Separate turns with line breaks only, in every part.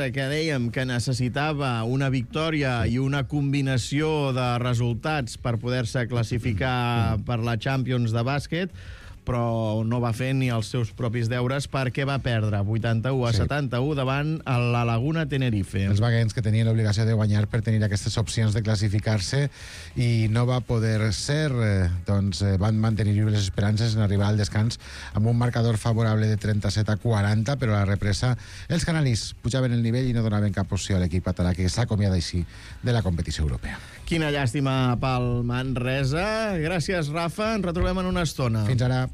que dèiem que necessitava una victòria i una combinació de resultats per poder-se classificar per la Champions de bàsquet, però no va fer ni els seus propis deures perquè va perdre 81-71 davant la Laguna Tenerife.
Els vaguens que tenien l'obligació de guanyar per tenir aquestes opcions de classificar-se i no va poder ser, doncs van mantenir les esperances en arribar al descans amb un marcador favorable de 37-40, però a la represa els canalis pujaven el nivell i no donaven cap opció a l'equip català, que s'acomiada així de la competició europea.
Quina llàstima pel Manresa. Gràcies, Rafa. Ens retrobem en una estona.
Fins ara.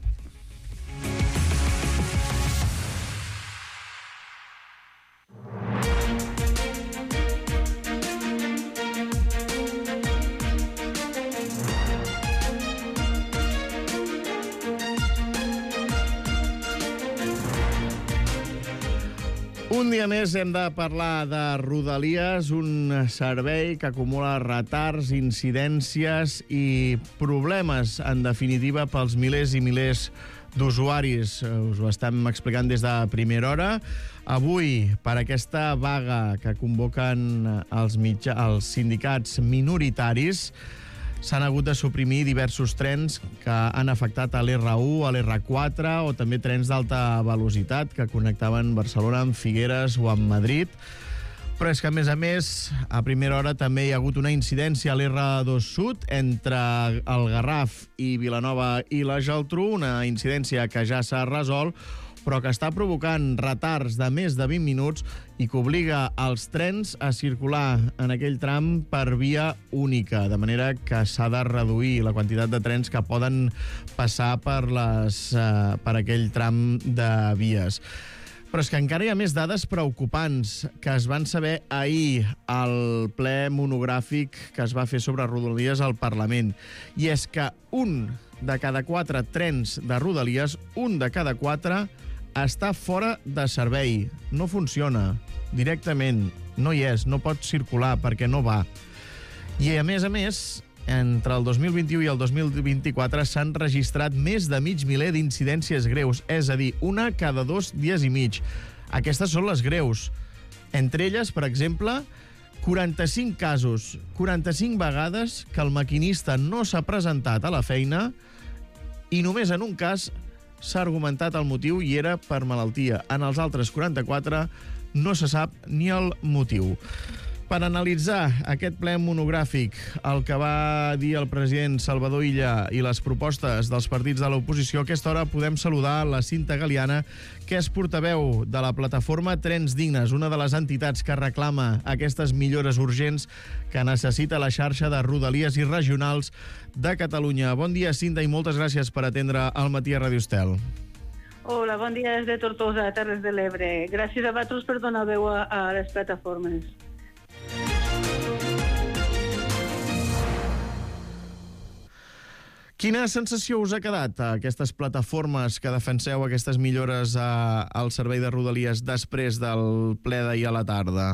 Un dia més hem de parlar de Rodalies, un servei que acumula retards, incidències i problemes, en definitiva, pels milers i milers d'usuaris. Us ho estem explicant des de primera hora. Avui, per aquesta vaga que convoquen els sindicats minoritaris, s'han hagut de suprimir diversos trens que han afectat a l'R1, a l'R4 o també trens d'alta velocitat que connectaven Barcelona amb Figueres o amb Madrid. Però és que, a més, a primera hora també hi ha hagut una incidència a l'R2 Sud entre el Garraf i Vilanova i la Geltrú, una incidència que ja s'ha resolt, però que està provocant retards de més de 20 minuts i que obliga els trens a circular en aquell tram per via única, de manera que s'ha de reduir la quantitat de trens que poden passar per aquell tram de vies. Però és que encara hi ha més dades preocupants que es van saber ahir al ple monogràfic que es va fer sobre Rodalies al Parlament. I és que un de cada 4 trens de Rodalies, un de cada 4 està fora de servei. No funciona directament. No hi és, no pot circular perquè no va. I a més, entre el 2021 i el 2024 s'han registrat més de mig miler d'incidències greus, és a dir, una cada 2 dies i mig. Aquestes són les greus. Entre elles, per exemple, 45 casos, 45 vegades que el maquinista no s'ha presentat a la feina i només en un cas s'ha argumentat el motiu i era per malaltia. En els altres 44 no se sap ni el motiu. Per analitzar aquest ple monogràfic, el que va dir el president Salvador Illa i les propostes dels partits de l'oposició, a aquesta hora podem saludar la Cinta Galiana, que és portaveu de la plataforma Trens Dignes, una de les entitats que reclama aquestes millores urgents que necessita la xarxa de rodalies i regionals de Catalunya. Bon dia, Cinta, i moltes gràcies per atendre al Matí a Ràdio Estel.
Hola, bon dia des de Tortosa, Terres de l'Ebre. Gràcies a vosaltres per donar veu a les plataformes.
Quina sensació us ha quedat a aquestes plataformes que defenseu aquestes millores al servei de Rodalies després del ple d'ahir a la tarda?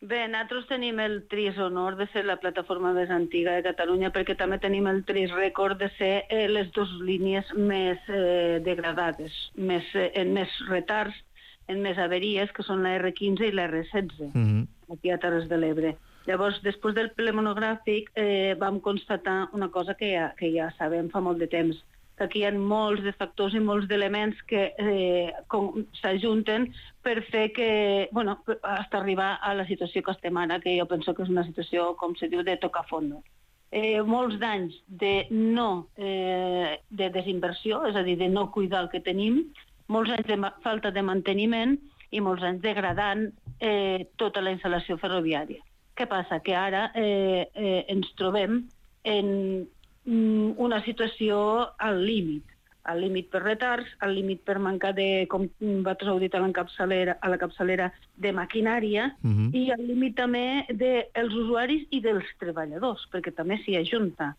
Bé, nosaltres tenim el trist honor de ser la plataforma més antiga de Catalunya, perquè també tenim el trist rècord de ser les dues línies més degradades, en més retards, en més averies, que són la R15 i la R16, aquí a Terres de l'Ebre. Llavors, després del ple monogràfic, vam constatar una cosa que ja sabem fa molt de temps, que aquí hi ha molts de factors i molts d'elements que s'ajunten per fer que, bueno, fins arribar a la situació que estem ara, que jo penso que és una situació, com se diu, de tocar fondo. Molts d'anys de desinversió, és a dir, de no cuidar el que tenim, molts anys de falta de manteniment i molts anys degradant tota la instal·lació ferroviària. Què passa? Que ara ens trobem en una situació al límit per retards, al límit per mancar de, com vosaltres heu dit a la capçalera, de maquinària, i al límit també dels usuaris i dels treballadors, perquè també s'hi ajunta.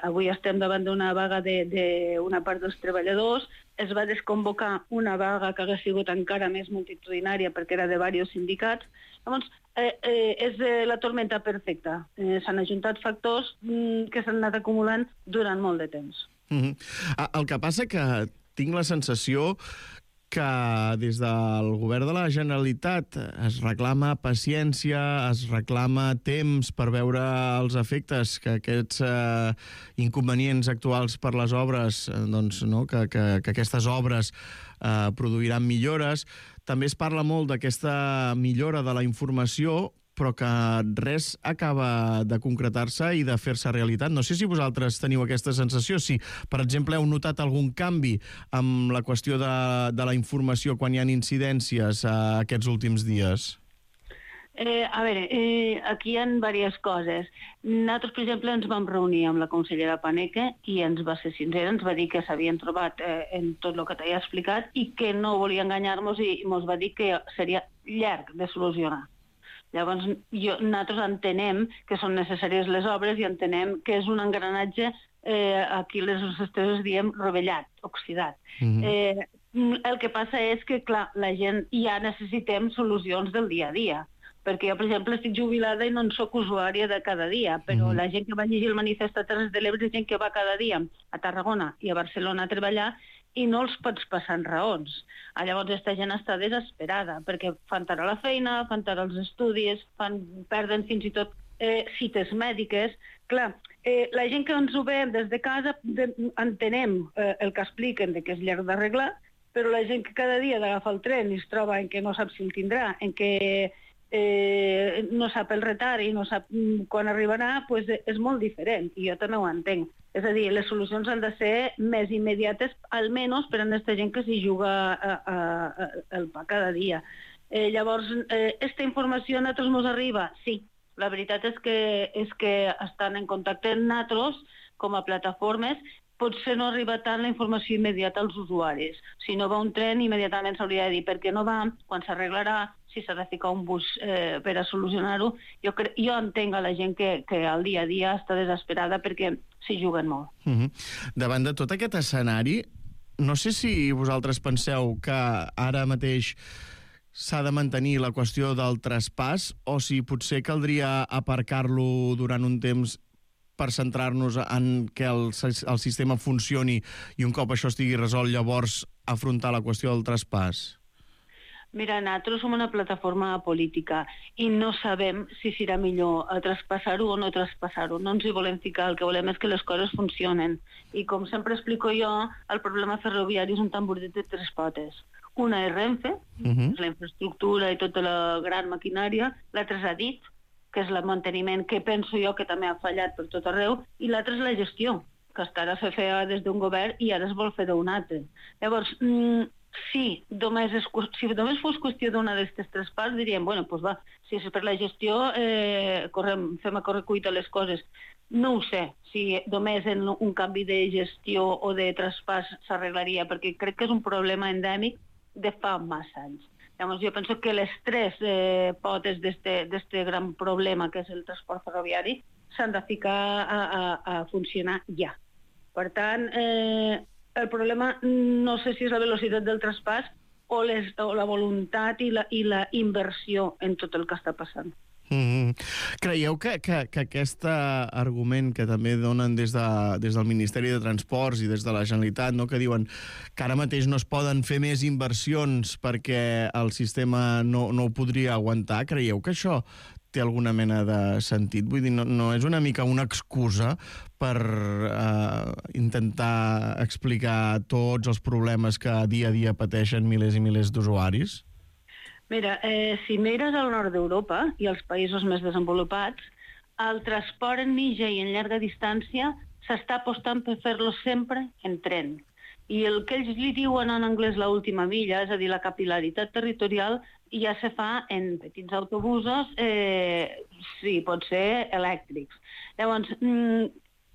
Avui estem davant d'una vaga d'una part dels treballadors, es va desconvocar una vaga que hagués sigut encara més multitudinària perquè era de diversos sindicats. Llavors, és la tormenta perfecta. S'han ajuntat factors que s'han anat acumulant durant molt de temps.
El que passa que tinc la sensació que des del govern de la Generalitat es reclama paciència, es reclama temps per veure els efectes que aquests inconvenients actuals per les obres, doncs, no, que aquestes obres produiran millores. També es parla molt d'aquesta millora de la informació, però que res acaba de concretar-se i de fer-se realitat. No sé si vosaltres teniu aquesta sensació, si, per exemple, heu notat algun canvi amb la qüestió de la informació quan hi ha incidències aquests últims dies.
A veure, aquí hi ha diverses coses. Nosaltres, per exemple, ens vam reunir amb la consellera Paneque i ens va ser sincera, ens va dir que s'havien trobat en tot el que t'he explicat i que no volia enganyar-nos i ens va dir que seria llarg de solucionar. Llavors, nosaltres entenem que són necessàries les obres i entenem que és un engranatge, aquí les esteses diem rovellat, oxidat. El que passa és que, clar, la gent ja necessitem solucions del dia a dia. Perquè jo, per exemple, estic jubilada i no en soc usuària de cada dia, però la gent que va llegir el manifest a Terres de l'Ebre és gent que va cada dia a Tarragona i a Barcelona a treballar i no els pots passar en raons. Llavors, aquesta gent està desesperada, perquè fan tard a la feina, fan tard als estudis, perden fins i tot cites mèdiques. Clar, la gent que ens ho veiem des de casa entenem el que expliquen de que és llarg d'arreglar, però la gent que cada dia d'agafar el tren i es troba en què no sap si el tindrà, en què no sap el retard i no sap quan arribarà, doncs és molt diferent, i jo també ho entenc. És a dir, les solucions han de ser més immediates, almenys per a aquesta gent que s'hi juga el pa cada dia. Llavors, aquesta informació a nosaltres ens arriba? Sí. La veritat és que estan en contacte amb nosaltres com a plataformes. Potser no arriba tant la informació immediata als usuaris. Si no va un tren, immediatament s'hauria de dir per què no va, quan s'arreglarà, si s'ha de ficar un bus per a solucionar-ho. Jo entenc a la gent que al dia a dia està desesperada perquè s'hi juguen molt.
Davant de tot aquest escenari, no sé si vosaltres penseu que ara mateix s'ha de mantenir la qüestió del traspàs o si potser caldria aparcar-lo durant un temps per centrar-nos en que el sistema funcioni i un cop això estigui resolt, llavors afrontar la qüestió del traspàs?
Mira, nosaltres som una plataforma política i no sabem si serà millor traspassar-ho o no traspassar-ho. No ens hi volem ficar, el que volem és que les coses funcionen. I com sempre explico jo, el problema ferroviari és un tamboret de tres potes. Una és Renfe, és la infraestructura i tota la gran maquinària. L'altra és Adif, que és el manteniment que penso jo que també ha fallat per tot arreu, i l'altra és la gestió, que hasta ara se feia des d'un govern i ara es vol fer d'un altre. Llavors, si només fos qüestió d'una d'aquestes tres parts, diríem, bueno, doncs va, si és per la gestió, fem a correcuita les coses. No ho sé, si només en un canvi de gestió o de traspàs s'arreglaria, perquè crec que és un problema endèmic de fa massa anys. Llavors, jo penso que les tres potes d'este gran problema, que és el transport ferroviari, s'han de ficar a funcionar ja. Per tant, el problema no sé si és la velocitat del traspàs o la voluntat i la inversió en tot el que està passant.
Creieu que aquest argument que també donen des del Ministeri de Transports i des de la Generalitat, no, que diuen que ara mateix no es poden fer més inversions perquè el sistema no ho podria aguantar, creieu que això té alguna mena de sentit? Vull dir, no és una mica una excusa per intentar explicar tots els problemes que dia a dia pateixen milers i milers d'usuaris?
Mira, si mires al nord d'Europa i als països més desenvolupats, el transport en mitja i en llarga distància s'està apostant per fer-lo sempre en tren. I el que ells li diuen en anglès l'última milla, és a dir, la capil·laritat territorial, ja se fa en petits autobusos, sí, pot ser elèctrics. Llavors,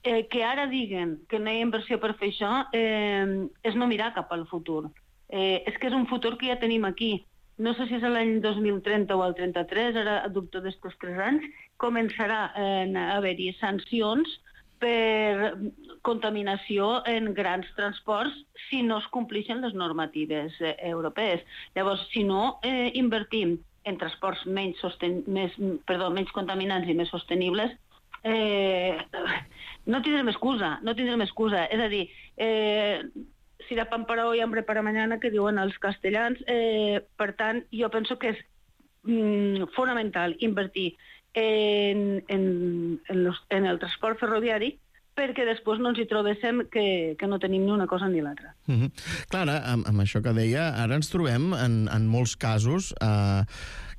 que ara diguen que no hi ha inversió per fer això és no mirar cap al futur. És que és un futur que ja tenim aquí. No sé si és l'any 2030 o el 33, ara dubto d'estos 3 anys, començarà a haver-hi sancions per contaminació en grans transports si no es compleixen les normatives europees. Llavors, si no invertim en transports menys contaminants i més sostenibles, no tindrem excusa. És a dir, si la pan para hoy, hambre para mañana, que diuen els castellans. Per tant, jo penso que és fonamental invertir en el transport ferroviari perquè després no ens hi trobéssim que no tenim ni una cosa ni l'altra.
Clar, amb això que deia, ara ens trobem en molts casos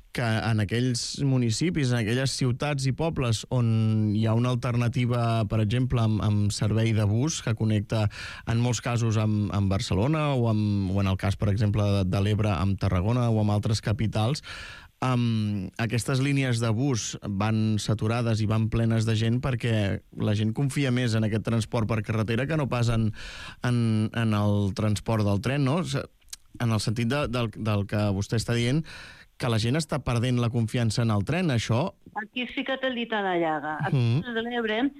que en aquells municipis, en aquelles ciutats i pobles on hi ha una alternativa, per exemple, amb servei de bus que connecta en molts casos amb Barcelona o en el cas, per exemple, de l'Ebre amb Tarragona o amb altres capitals, aquestes línies de bus van saturades i van plenes de gent perquè la gent confia més en aquest transport per carretera que no pas en el transport del tren, no? En el sentit del que vostè està dient, que la gent està perdent la confiança en el tren, això...
Aquí has ficat el dit a la llaga. Aquí a l'Ebre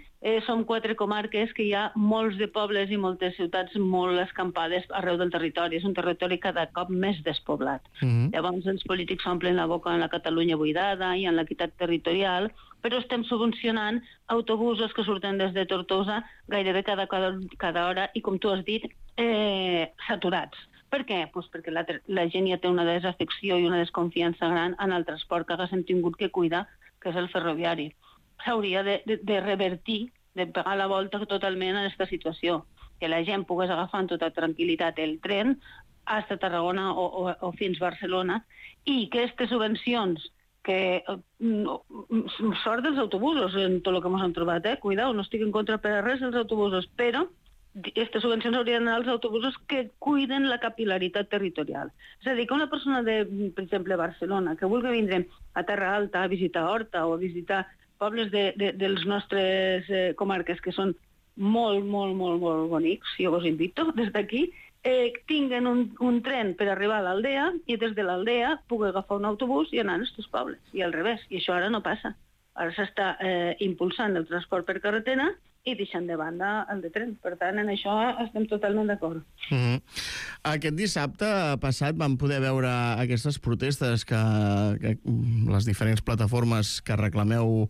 som 4 comarques que hi ha molts de pobles i moltes ciutats molt escampades arreu del territori. És un territori cada cop més despoblat. Llavors els polítics s'omplen la boca en la Catalunya buidada i en l'equitat territorial, però estem subvencionant autobusos que surten des de Tortosa gairebé cada hora i, com tu has dit, saturats. Per què? Pues perquè la gent ja té una desafecció i una desconfiança gran en el transport que haguéssim tingut que cuidar, que és el ferroviari. S'hauria de revertir, de pegar la volta totalment a aquesta situació, que la gent pogués agafar amb tota tranquil·litat el tren fins a Tarragona o fins a Barcelona, i que aquestes subvencions que sort dels autobusos en tot el que ens hem trobat, cuidao, no estic en contra per a res dels autobusos, però aquestes subvencions haurien d'anar als autobusos que cuiden la capil·laritat territorial. És a dir, que una persona de, per exemple, Barcelona, que vulgui vindre a Terra Alta a visitar Horta o a visitar pobles dels nostres comarques, que són molt, molt, molt, molt bonics, jo us invito des d'aquí, tinguen un tren per arribar a l'aldea i des de l'aldea pugui agafar un autobús i anar a aquests pobles, i al revés. I això ara no passa. Ara s'està impulsant el transport per carretera i deixant de banda el de tren. Per tant, en això estem totalment d'acord.
Aquest dissabte passat vam poder veure aquestes protestes que les diferents plataformes que reclameu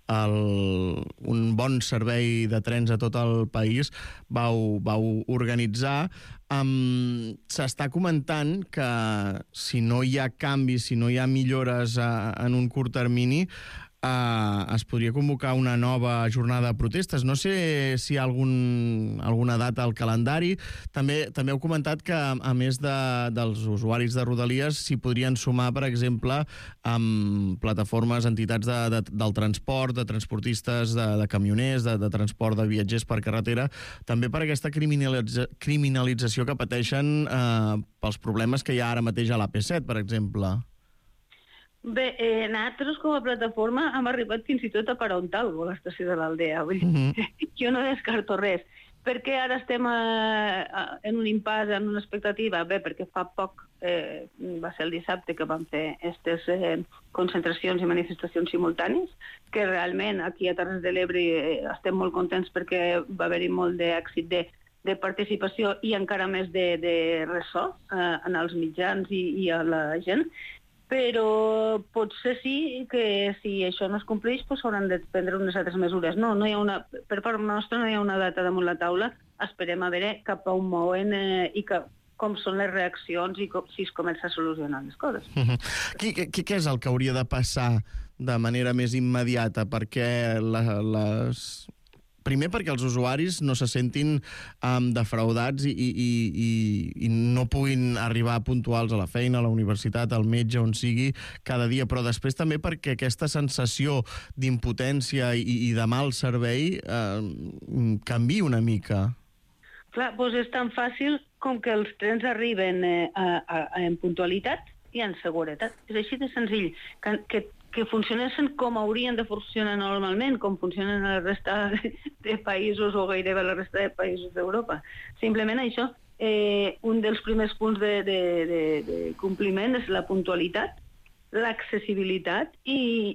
un bon servei de trens a tot el país vau organitzar. S'està comentant que si no hi ha canvis, si no hi ha millores en un curt termini, es podria convocar una nova jornada de protestes. No sé si hi ha alguna data al calendari. També heu comentat que, a més dels usuaris de Rodalies, s'hi podrien sumar, per exemple, amb plataformes, entitats del transport, de transportistes, de camioners, de transport de viatgers per carretera, també per aquesta criminalització que pateixen pels problemes que hi ha ara mateix a l'AP7, per exemple.
Bé, nosaltres com a plataforma hem arribat fins i tot a parar un talgo a l'estació de l'Aldea. Jo no descarto res. Per què ara estem en un impàs, en una expectativa? Bé, perquè fa poc, va ser el dissabte, que vam fer aquestes concentracions i manifestacions simultànies, que realment aquí a Terres de l'Ebre estem molt contents perquè va haver-hi molt d'èxit de participació i encara més de ressò en els mitjans i a la gent. Però potser sí que si això no es compleix s'hauran de prendre unes altres mesures. No hi ha per part nostra no hi ha una data damunt la taula. Esperem a veure cap a on mouen i com són les reaccions i si es comença a solucionar les coses.
Què és el que hauria de passar de manera més immediata perquè primer perquè els usuaris no se sentin defraudats i no puguin arribar puntuals a la feina, a la universitat, al metge, on sigui, cada dia, però després també perquè aquesta sensació d'impotència i de mal servei canviï una mica.
Clar, doncs és tan fàcil com que els trens arriben en puntualitat i en seguretat. És així de senzill, que funcionessin com haurien de funcionar normalment, com funcionen a la resta de països o gairebé a la resta de països d'Europa. Simplement això, un dels primers punts de compliment és la puntualitat, l'accessibilitat i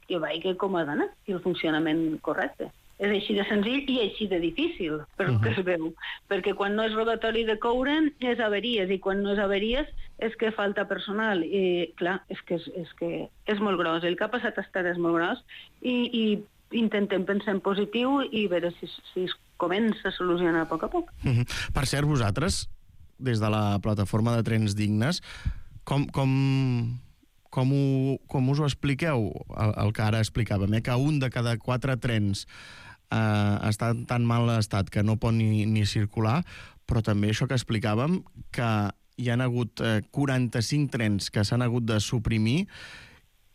que vagi com ha d'anar, i el funcionament correcte. És així de senzill i així de difícil, per que es veu. Perquè quan no és robatori de coure és averies, i quan no és averies és que falta personal. I clar, és que és molt gros. El que ha passat és molt gros i intentem pensar en positiu i veure si comença a solucionar a poc a poc.
Per cert, vosaltres, des de la plataforma de Trens Dignes, com us ho expliqueu, el que ara explicàvem, que un de cada 4 trens està en tan mal estat que no pot ni circular, però també això que explicàvem, que hi han hagut 45 trens que s'han hagut de suprimir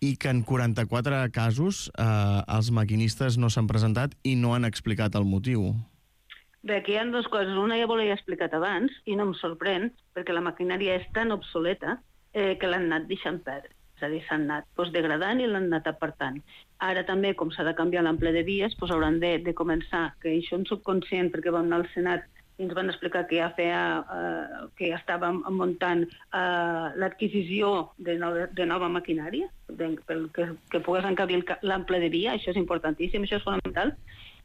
i que en 44 casos els maquinistes no s'han presentat i no han explicat el motiu.
Bé, aquí hi ha 2 coses. Una ja l'he explicat abans i no em sorprèn, perquè la maquinària és tan obsoleta que l'han anat deixant perdre. És a dir, s'han anat degradant i l'han anat apartant. Ara també, com s'ha de canviar l'ample de vies, hauran de començar, que això en soc conscient perquè vam anar al Senat i ens van explicar que ja estàvem muntant l'adquisició de nova maquinària, que pogués encabir l'ample de via, això és importantíssim, això és fonamental.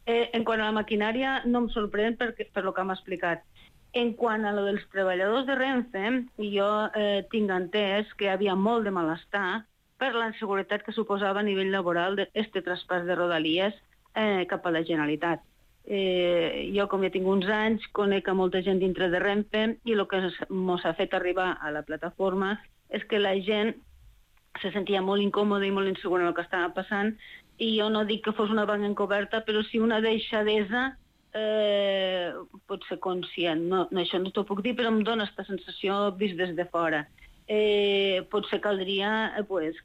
En quant a la maquinària, no em sorprèn per el que m'ha explicat. En quant a lo dels treballadors de Renfe, jo tinc entès que hi havia molt de malestar per la inseguretat que suposava a nivell laboral este traspàs de Rodalies cap a la Generalitat. Jo, com ja tinc uns anys, conec a molta gent dintre de Renfe i el que ens ha fet arribar a la plataforma és que la gent se sentia molt incòmoda i molt insegura en el que estava passant, i jo no dic que fos una vaga encoberta, però sí una deixadesa pot ser conscient. No, això no t'ho puc dir, però em dona aquesta sensació vist des de fora. Potser caldria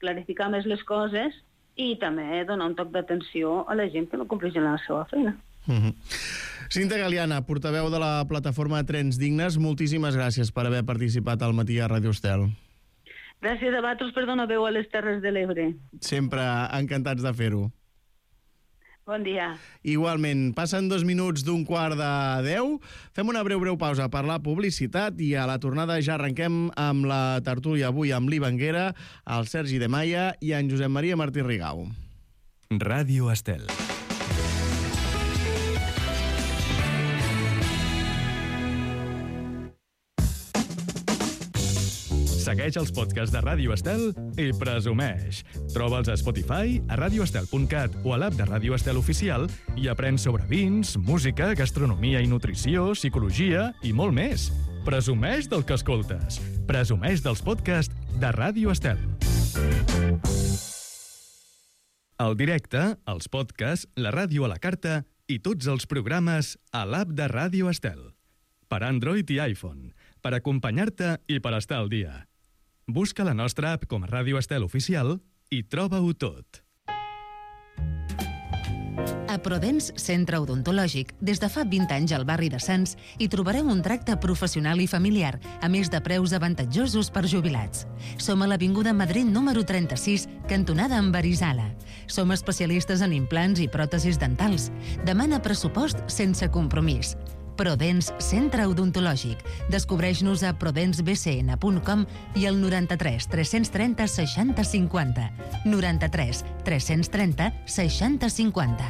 clarificar més les coses i també donar un toc d'atenció a la gent que no compleix la seva feina.
Cinta Galiana, portaveu de la plataforma Trens Dignes, moltíssimes gràcies per haver participat al matí a Ràdio Estel.
Gràcies a vosaltres per donar veu a les Terres de l'Ebre.
Sempre encantats de fer-ho.
Bon dia.
Igualment, passen 2 minuts d'un 9:15. Fem una breu pausa per la publicitat i a la tornada ja arrenquem amb la tertúlia avui amb l'Ivanguera, el Sergi de Maia i en Josep Maria Martí Rigau.
Ràdio Estel. Segueix els podcasts de Ràdio Estel i presumeix. Troba'ls a Spotify, a radioestel.cat o a l'app de Ràdio Estel Oficial i aprèn sobre vins, música, gastronomia i nutrició, psicologia i molt més. Presumeix del que escoltes. Presumeix dels podcasts de Ràdio Estel. El directe, els podcasts, la ràdio a la carta i tots els programes a l'app de Ràdio Estel. Per Android i iPhone, per acompanyar-te i per estar al dia. Busca la nostra app com a Ràdio Estel Oficial i troba-ho tot.
A Prodens Centre Odontològic, des de fa 20 anys al barri de Sants, hi trobareu un tracte professional i familiar, a més de preus avantatjosos per jubilats. Som a l'Avinguda Madrid número 36, cantonada amb Arizala. Som especialistes en implants i pròtesis dentals. Demana pressupost sense compromís. Prodens Centre Odontològic. Descobreix-nos a prodensbcn.com i al 93 330 60 50. 93 330 60 50.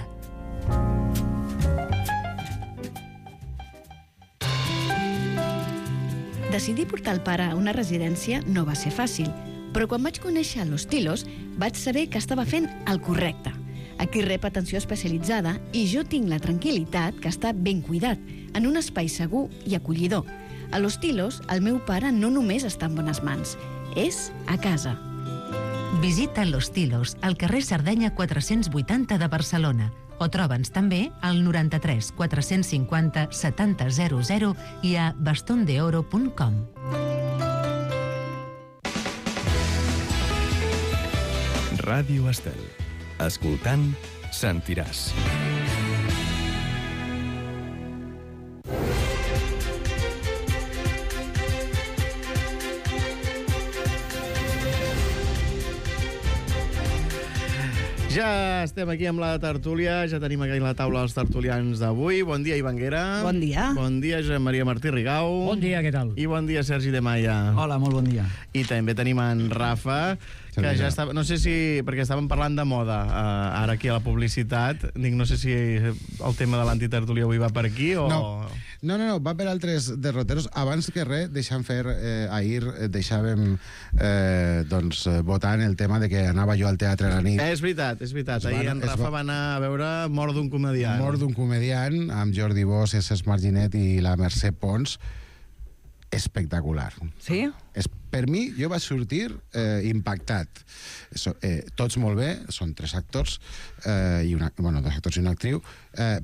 Decidir portar el pare a una residència no va ser fàcil, però quan vaig conèixer Los Tilos vaig saber que estava fent el correcte. Aquí rep atenció especialitzada i jo tinc la tranquil·litat que està ben cuidat, en un espai segur i acollidor. A Los Tilos, el meu pare no només està en bones mans, és a casa.
Visita Los Tilos, al carrer Sardenya 480 de Barcelona, o troba'ns també al 93 450 70 00 i a bastondeoro.com.
Ràdio Estel. Escoltant, sentiràs.
Ja estem aquí amb la tertúlia, ja tenim aquí a la taula els tertulians d'avui. Bon dia, Ivanguera.
Bon dia.
Bon dia, Josep Maria Martí Rigau.
Bon dia, què tal?
I bon dia, Sergi de Maia.
Hola, molt bon dia.
I també tenim en Rafa, Que ja estava, no sé si, perquè estàvem parlant de moda ara aquí a la publicitat, dic, no sé si el tema de l'antitertúlia avui va per aquí o...
No, va per altres derroteros. Abans que res, deixant fer, ahir deixàvem votant el tema de que anava jo al teatre a la nit.
És veritat. Ahir en Rafa va anar a veure Mort d'un comediant.
Mort d'un comediant, amb Jordi Bosch, Cesc Marginet i la Mercè Pons. Espectacular.
Sí?
Per mi, jo vaig sortir impactat. Tots molt bé, són 3 actors, dos actors i una actriu,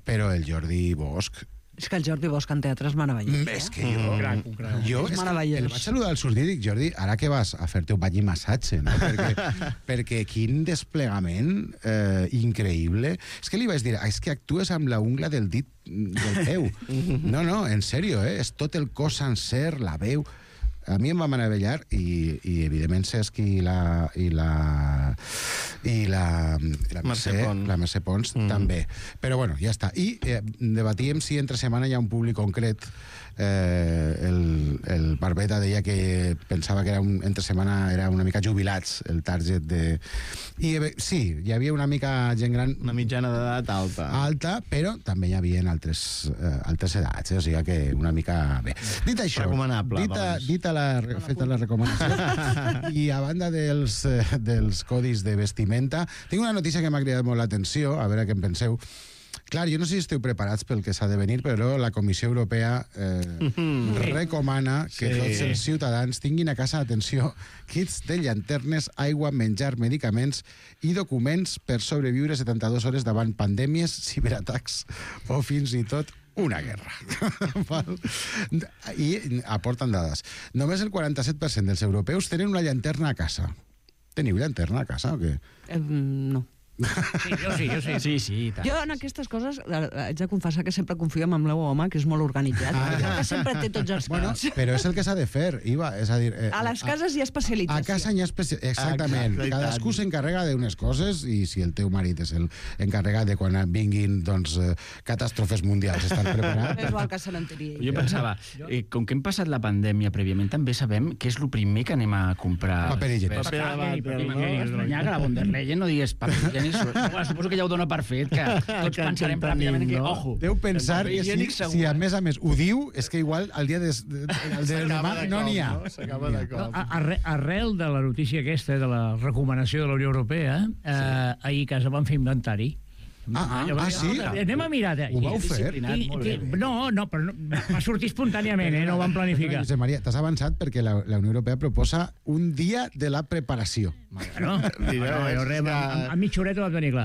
però el Jordi Bosch...
És que el Jordi Bosch en teatre és meravellós.
És que jo
és meravellós.
el vaig saludar al sortir i dic, Jordi, ara que vas a fer-te un bany i massatge, no? Perquè quin desplegament increïble. És que li vaig dir, és que actues amb la ungla del dit del peu. No, en sèrio, és tot el cos sencer, la veu... A mi em va meravellar i evidentment Cesc i la Mercè Pons també. Però bueno, ja està. I debatíem si entre setmana hi ha un públic concret. El Barbeta deia que pensava que entre setmana era una mica jubilats el target de... I sí, hi havia una mica gent gran...
Una mitjana d'edat alta,
però també hi havia altres edats, o sigui que una mica bé. Dit això,
recomanable,
feta la recomanació, i a banda dels codis de vestimenta, tinc una notícia que m'ha cridat molt l'atenció, a veure què en penseu. Clar, jo no sé si esteu preparats pel que s'ha de venir, però la Comissió Europea recomana que tots els ciutadans tinguin a casa, atenció, kits de llanternes, aigua, menjar, medicaments i documents per sobreviure 72 hores davant pandèmies, ciberatacs o fins i tot una guerra. I aporten dades. Només el 47% dels europeus tenen una llanterna a casa. Teniu llanterna a casa o què?
No.
Sí, jo sí. Sí, tant.
Jo en aquestes coses haig de confessar que sempre confio en el meu home, que és molt organitzat, que sempre té tots els cants.
Però és el que s'ha de fer, Iva. És a dir,
a les cases hi ha especialització.
A casa hi ha exactament. Cadascú s'encarrega d'unes coses i si el teu marit és l'encarregat de quan vinguin catàstrofes mundials estar preparat.
És igual que se n'enteria.
Jo pensava, com que hem passat la pandèmia prèviament, també sabem què és el primer que anem a comprar.
Paper higiènic.
M'estranyar que la von der Leyen no digués paper higiènic. Suposo que ja ho dona per fet, que tots pensarem ràpidament que, ojo...
Deu pensar que si a més ho diu, és que igual el dia de demà no n'hi ha.
S'acaba de cop.
Arrel de la notícia aquesta, de la recomanació de la Unió Europea, ahir a casa van fer inventari.
Sí?
Anem a mirar.
Ho vau fer?
No, però va sortir espontàniament, no ho vam planificar.
Josep Maria, t'has avançat perquè la Unió Europea proposa un dia de la preparació.
A mitja horeta ho vam tenir clar.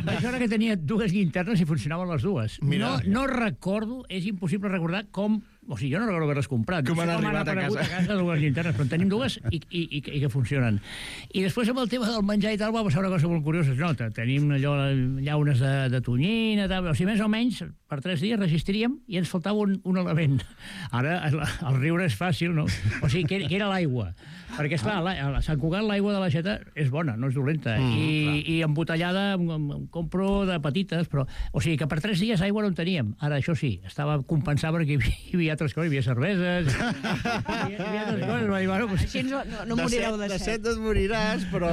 Vaig veure que tenia 2 llinternes i funcionaven les dues. No recordo, és impossible recordar com... O sigui, jo no recordo haver-les comprat.
Com han arribat a casa
2 llinternes, però en tenim 2 i que funcionen. I després amb el tema del menjar i tal va passar una cosa molt curiosa. No, tenim allò, llaunes de tonyina, tal. O sigui, més o menys, per 3 dies resistiríem i ens faltava un element. Ara, el riure és fàcil, no? O sigui, que era l'aigua. Perquè, esclar, a Sant Cugat l'aigua de l'aixeta és bona, no és dolenta. I embotellada em compro de petites, però... O sigui, que per 3 dies aigua no en teníem. Ara, això sí, estava compensat perquè hi havia altres coses, hi havia cerveses, hi havia altres coses. Va dir, bueno, pues...
Així no morireu de set.
De set et moriràs, però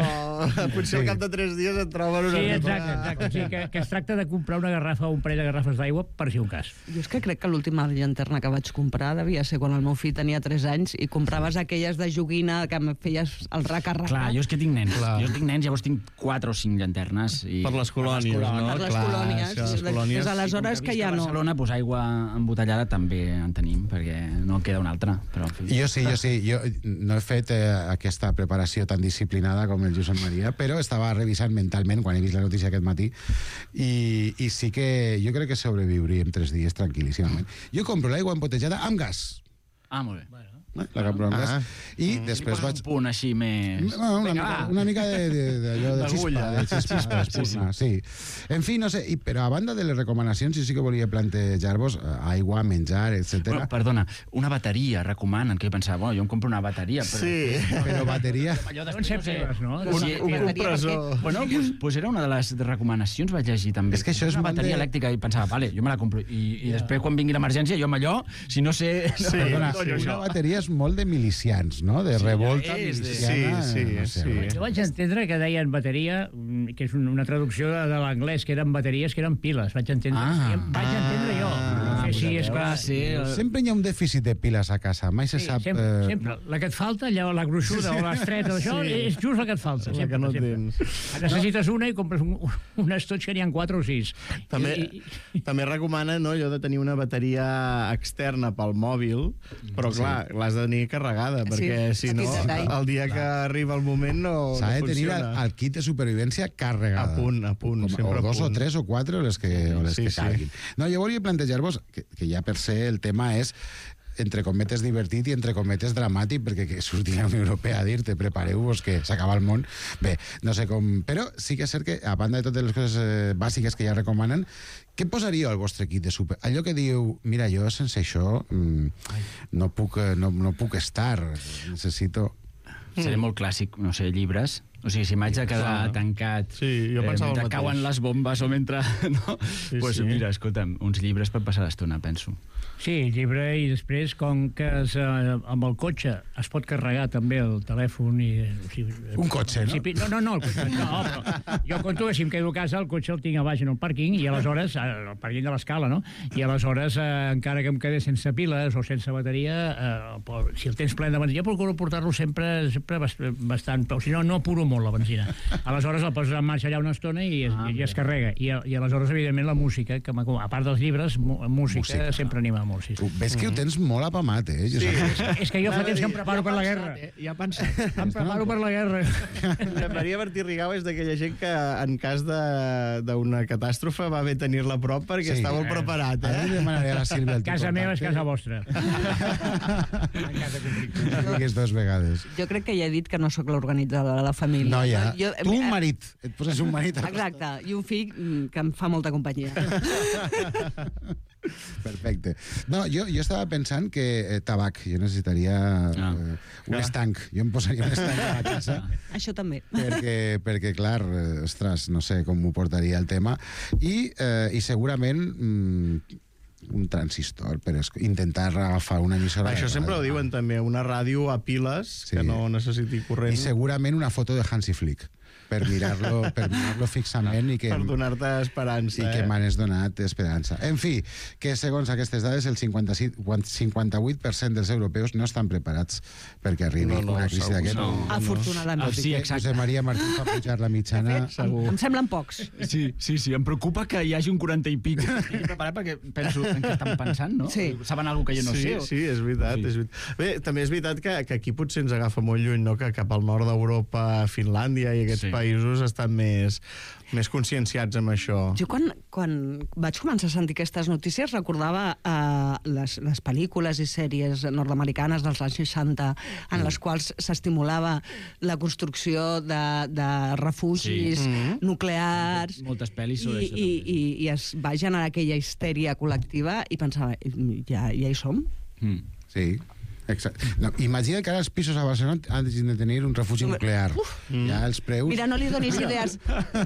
potser al cap de 3 dies et troben una...
Sí, exacte. O sigui, que es tracta de comprar una garrafa o un parell de garrafes d'aigua per si un cas.
Jo és que crec que l'última llanterna que vaig comprar devia ser quan el meu fill tenia 3 anys i compraves aquelles de joguina que em feies el raca-raca.
Clar, jo és que tinc nens. Llavors tinc 4 o 5 llanternes.
Per les colònies, no?
Per les colònies. Des d'aleshores que ja no...
A Barcelona, aigua embotellada també en tenim, perquè no queda una altra. Però,
jo sí. Jo no he fet aquesta preparació tan disciplinada com el Josep Maria, però estava revisant mentalment quan he vist la notícia aquest matí i sí que jo crec que sobreviuríem 3 dies tranquil·líssimament. Jo compro l'aigua embotellada amb gas.
Molt bé.
La compro amb gas. I després vaig...
Un punt així més...
Una mica d'allò de xispa, d'espurna, sí. En fi, no sé, però a banda de les recomanacions, jo sí que volia plantejar-vos aigua, menjar, etc.
Bueno, perdona, una bateria recomanen, que jo pensava, jo em compro una bateria, però...
Sí, però bateria...
Un compressor.
Bueno, doncs era una de les recomanacions, vaig llegir també.
És que això és
una bateria elèctrica i pensava, vale, jo me la compro. I després, quan vingui l'emergència, jo amb allò, si no sé...
Una bateria és molt de milicians, no? De revolta miliciana.
Sí.
Jo vaig entendre que deien bateria, que és una traducció de l'anglès, que eren bateries, que eren piles. Vaig entendre jo. No sé si és clar.
Sempre hi ha un dèficit de piles a casa, mai se sap...
Sempre. La que et falta, allò, la gruixuda o l'estreta, això és just la que et falta.
La que no tens.
Necessites una i compres un estoig que n'hi ha 4 o 6.
També recomana, no, allò de tenir una bateria externa pel mòbil, però clar, l'has de tenir carregada, perquè si no, el dia que arriba el moment no funciona.
S'ha de tenir el kit de supervivència carregada.
A punt, sempre a punt.
O 2 o 3 o 4 les que calguin. No, jo volia plantejar-vos, que ja per ser el tema és entre cometes divertit i entre cometes dramàtic, perquè que surti la Unió Europea a dir-te prepareu-vos que s'acaba el món. Bé, no sé com... Però sí que és cert que, a banda de totes les coses bàsiques que ja recomanen, què posaríeu al vostre kit de super? Allò que diu, mira, jo sense això no puc estar, necessito...
Seré molt clàssic, no sé, llibres. O sigui, si m'haig de quedar tancat mentre cauen les bombes o mentre... Doncs mira, escolta'm, uns llibres per passar l'estona, penso.
Sí, llibre, i després, com que amb el cotxe es pot carregar també el telèfon i...
Un cotxe, no?
No, el cotxe no, però jo conto que si em quedo a casa el cotxe el tinc a baix en el pàrquing i aleshores, el pàrquing de l'escala, no? I aleshores, encara que em quedé sense piles o sense bateria, si el tens ple de benzina, procuro portar-lo sempre bastant... O si no, no apuro molt la benzina. Aleshores el poses en marxa allà una estona i es carrega. I aleshores, evidentment, la música, que a part dels llibres, música sempre anima molt. Sí.
Ves que ho tens molt apamat,
Sí, és que jo fa temps que em preparo per la guerra.
Ja pensat.
Em preparo per la guerra.
Maria Martí Rigau és d'aquella gent que en cas d'una catàstrofe va bé tenir-la a prop perquè està molt preparat.
Ara li demanaré a la Sílvia el
casa meva és casa vostra.
En cas de conflicte. Digues 2 vegades.
Jo crec que ja he dit que no sóc l'organitzadora de la família.
No, ja. Tu un marit. Et poses un marit.
Exacte. I un fill que em fa molta companyia.
Perfecte. No, jo estava pensant que tabac, jo necessitaria un estanc. Jo em posaria un estanc a la casa.
Això també.
Perquè clar, ostres, no sé com m'ho portaria el tema. I segurament un transistor per intentar agafar una emissora.
Això sempre ho diuen també, una ràdio a piles que no necessiti corrent.
I segurament una foto de Hansi Flick per mirar-lo fixament i que...
Per donar-te esperança.
I que m'han donat esperança. En fi, que segons aquestes dades el 58% dels europeus no estan preparats perquè arribi una crisi d'aquest.
Afortunadament.
Sí, exacte. Josep Maria Martí fa pujar la mitjana.
Em semblen pocs.
Sí, em preocupa que hi hagi un 40 i pic. Estic preparat perquè penso en què estan pensant, no?
Sí.
Saben alguna que jo no sé.
Sí, és veritat. Bé, també és veritat que aquí potser ens agafa molt lluny, no? Que cap al nord d'Europa, Finlàndia i aquests països estan més conscienciats amb això.
Jo quan vaig començar a sentir aquestes notícies recordava les pel·lícules i sèries nord-americanes dels anys 60 en les quals s'estimulava la construcció de refugis nuclears.
Moltes pel·lis sobre això.
I es va generar aquella histèria col·lectiva i pensava, ja hi som?
Sí. Exacte. No, imagina que ara els pisos a Barcelona han de tenir un refugi nuclear. Ja els preus...
Mira, no li donis idees.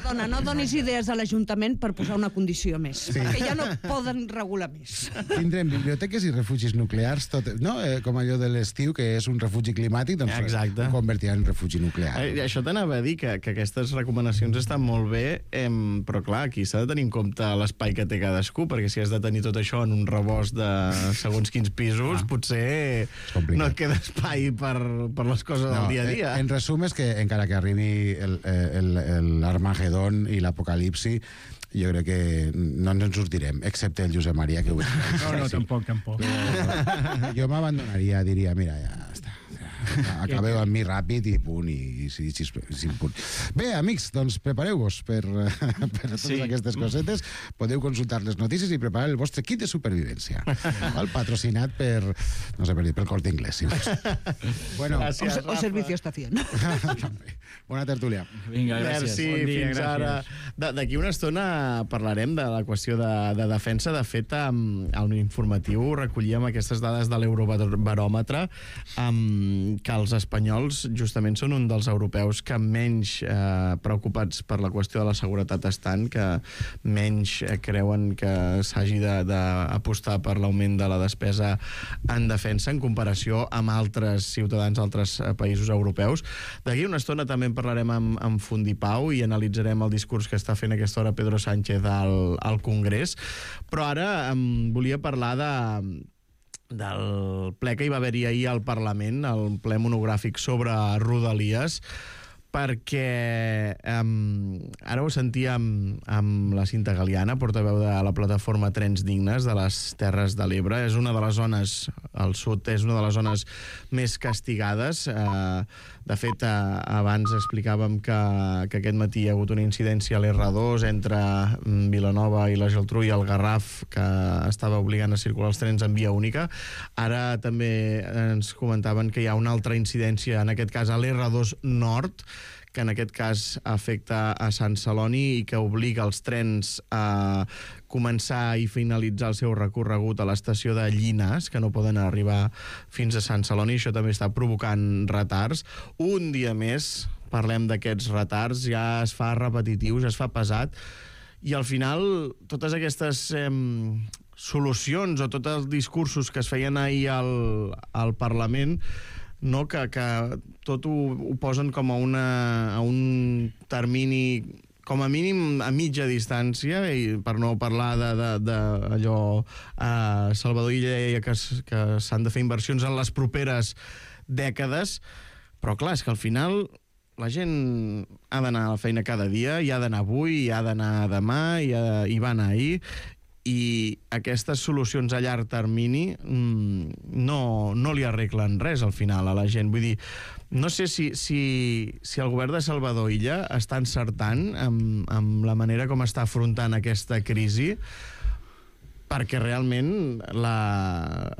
Dona, no donis idees a l'Ajuntament per posar una condició més. Perquè ja no poden regular més.
Tindrem biblioteques i refugis nuclears, no? Com allò de l'estiu, que és un refugi climàtic, doncs ho convertiran en refugi nuclear.
Això t'anava a dir, que aquestes recomanacions estan molt bé, però clar, aquí s'ha de tenir en compte l'espai que té cadascú, perquè si has de tenir tot això en un rebost de segons quins pisos, potser... no et queda espai per les coses del dia a dia.
En resum és que encara que arribi l'Armagedon i l'Apocalipsi, jo crec que no ens en sortirem, excepte el Josep Maria, que ho és.
No, tampoc.
Jo m'abandonaria, diria, mira, ja està. Acabeu amb mi ràpid i punt, i punt. Bé, amics, doncs prepareu-vos per totes aquestes cosetes. Podeu consultar les notícies i preparar el vostre kit de supervivència. Patrocinat per, no sé per dir, pel Corte Inglés.
Bueno,
o Servicio Estación.
Bona tertúlia.
Vinga, gràcies.
Merci, fins ara. D'aquí una estona parlarem de la qüestió de defensa. De fet, al informatiu recollíem aquestes dades de l'Eurobaròmetre els espanyols justament són un dels europeus que menys preocupats per la qüestió de la seguretat estan, que menys creuen que s'hagi d'apostar per l'augment de la despesa en defensa en comparació amb altres ciutadans d'altres països europeus. D'aquí una estona també en parlarem amb Fundipau i analitzarem el discurs que està fent a aquesta hora Pedro Sánchez al Congrés, però ara volia parlar del ple que hi va haver-hi ahir al Parlament, el ple monogràfic sobre Rodalies, perquè ara ho sentíem amb la Cinta Galiana, portaveu de la plataforma Trens Dignes de les Terres de l'Ebre. És una de les zones, al sud, és una de les zones més castigades. De fet, abans explicàvem que aquest matí hi ha hagut una incidència a l'R2 entre Vilanova i la Geltrú i el Garraf, que estava obligant a circular els trens en via única. Ara també ens comentaven que hi ha una altra incidència, en aquest cas a l'R2 Nord, que en aquest cas afecta a Sant Celoni i que obliga els trens a començar i finalitzar el seu recorregut a l'estació de Llinars, que no poden arribar fins a Sant Celoni. Això també està provocant retards. Un dia més parlem d'aquests retards, ja es fa repetitiu, ja es fa pesat, i al final totes aquestes solucions o tots els discursos que es feien ahir al Parlament, no, que tot ho posen com a un termini, com a mínim a mitja distància, i per no parlar d'allò, Salvador Illa deia que s'han de fer inversions en les properes dècades, però clar, és que al final la gent ha d'anar a la feina cada dia, hi ha d'anar avui, hi ha d'anar demà, hi va anar ahir, i aquestes solucions a llarg termini no li arreglen res al final a la gent. Vull dir, no sé si el govern de Salvador Illa està encertant amb la manera com està afrontant aquesta crisi, perquè realment la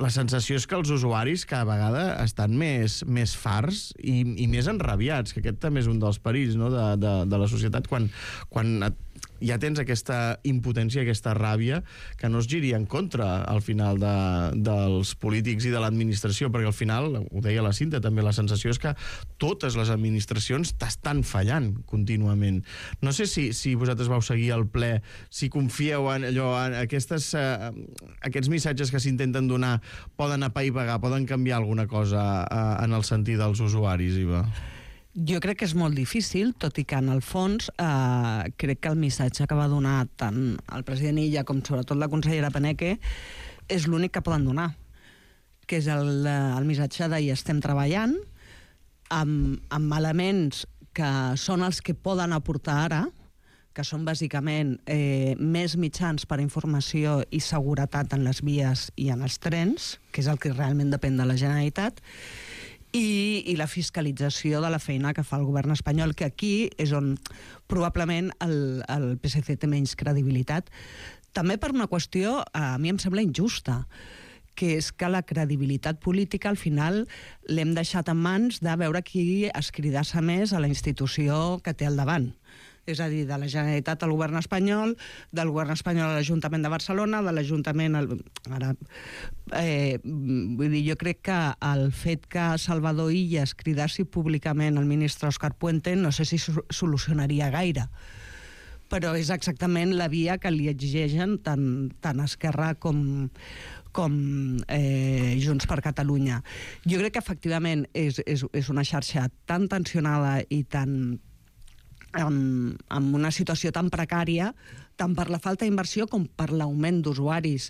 sensació és que els usuaris cada vegada estan més farts i més enrabiats, que aquest també és un dels perills, no, de la societat, quan ja tens aquesta impotència, aquesta ràbia, que no es giri en contra al final dels polítics i de l'administració, perquè al final, ho deia la Cinta també, la sensació és que totes les administracions t'estan fallant contínuament. No sé si vosaltres vau seguir el ple, si confieu en allò, en aquests missatges que s'intenten donar poden apaivagar, poden canviar alguna cosa en el sentit dels usuaris, Iva?
Jo crec que és molt difícil, tot i que en el fons crec que el missatge que va donar tant el president Illa com sobretot la consellera Paneque és l'únic que poden donar, que és el missatge de hi estem treballant amb elements que són els que poden aportar ara, que són bàsicament més mitjans per a informació i seguretat en les vies i en els trens, que és el que realment depèn de la Generalitat, i la fiscalització de la feina que fa el govern espanyol, que aquí és on probablement el PSC té menys credibilitat. També per una qüestió, a mi em sembla injusta, que és que la credibilitat política al final l'hem deixat en mans de veure qui es cridassa més a la institució que té al davant. És a dir, de la Generalitat al govern espanyol, del govern espanyol a l'Ajuntament de Barcelona, de l'Ajuntament vull dir, jo crec que el fet que Salvador Illa es cridassi públicament al ministre Òscar Puente no sé si solucionaria gaire, però és exactament la via que li exigeixen tant Esquerra com Junts per Catalunya. Jo crec que efectivament és una xarxa tan tensionada i tan amb una situació tan precària, tant per la falta d'inversió com per l'augment d'usuaris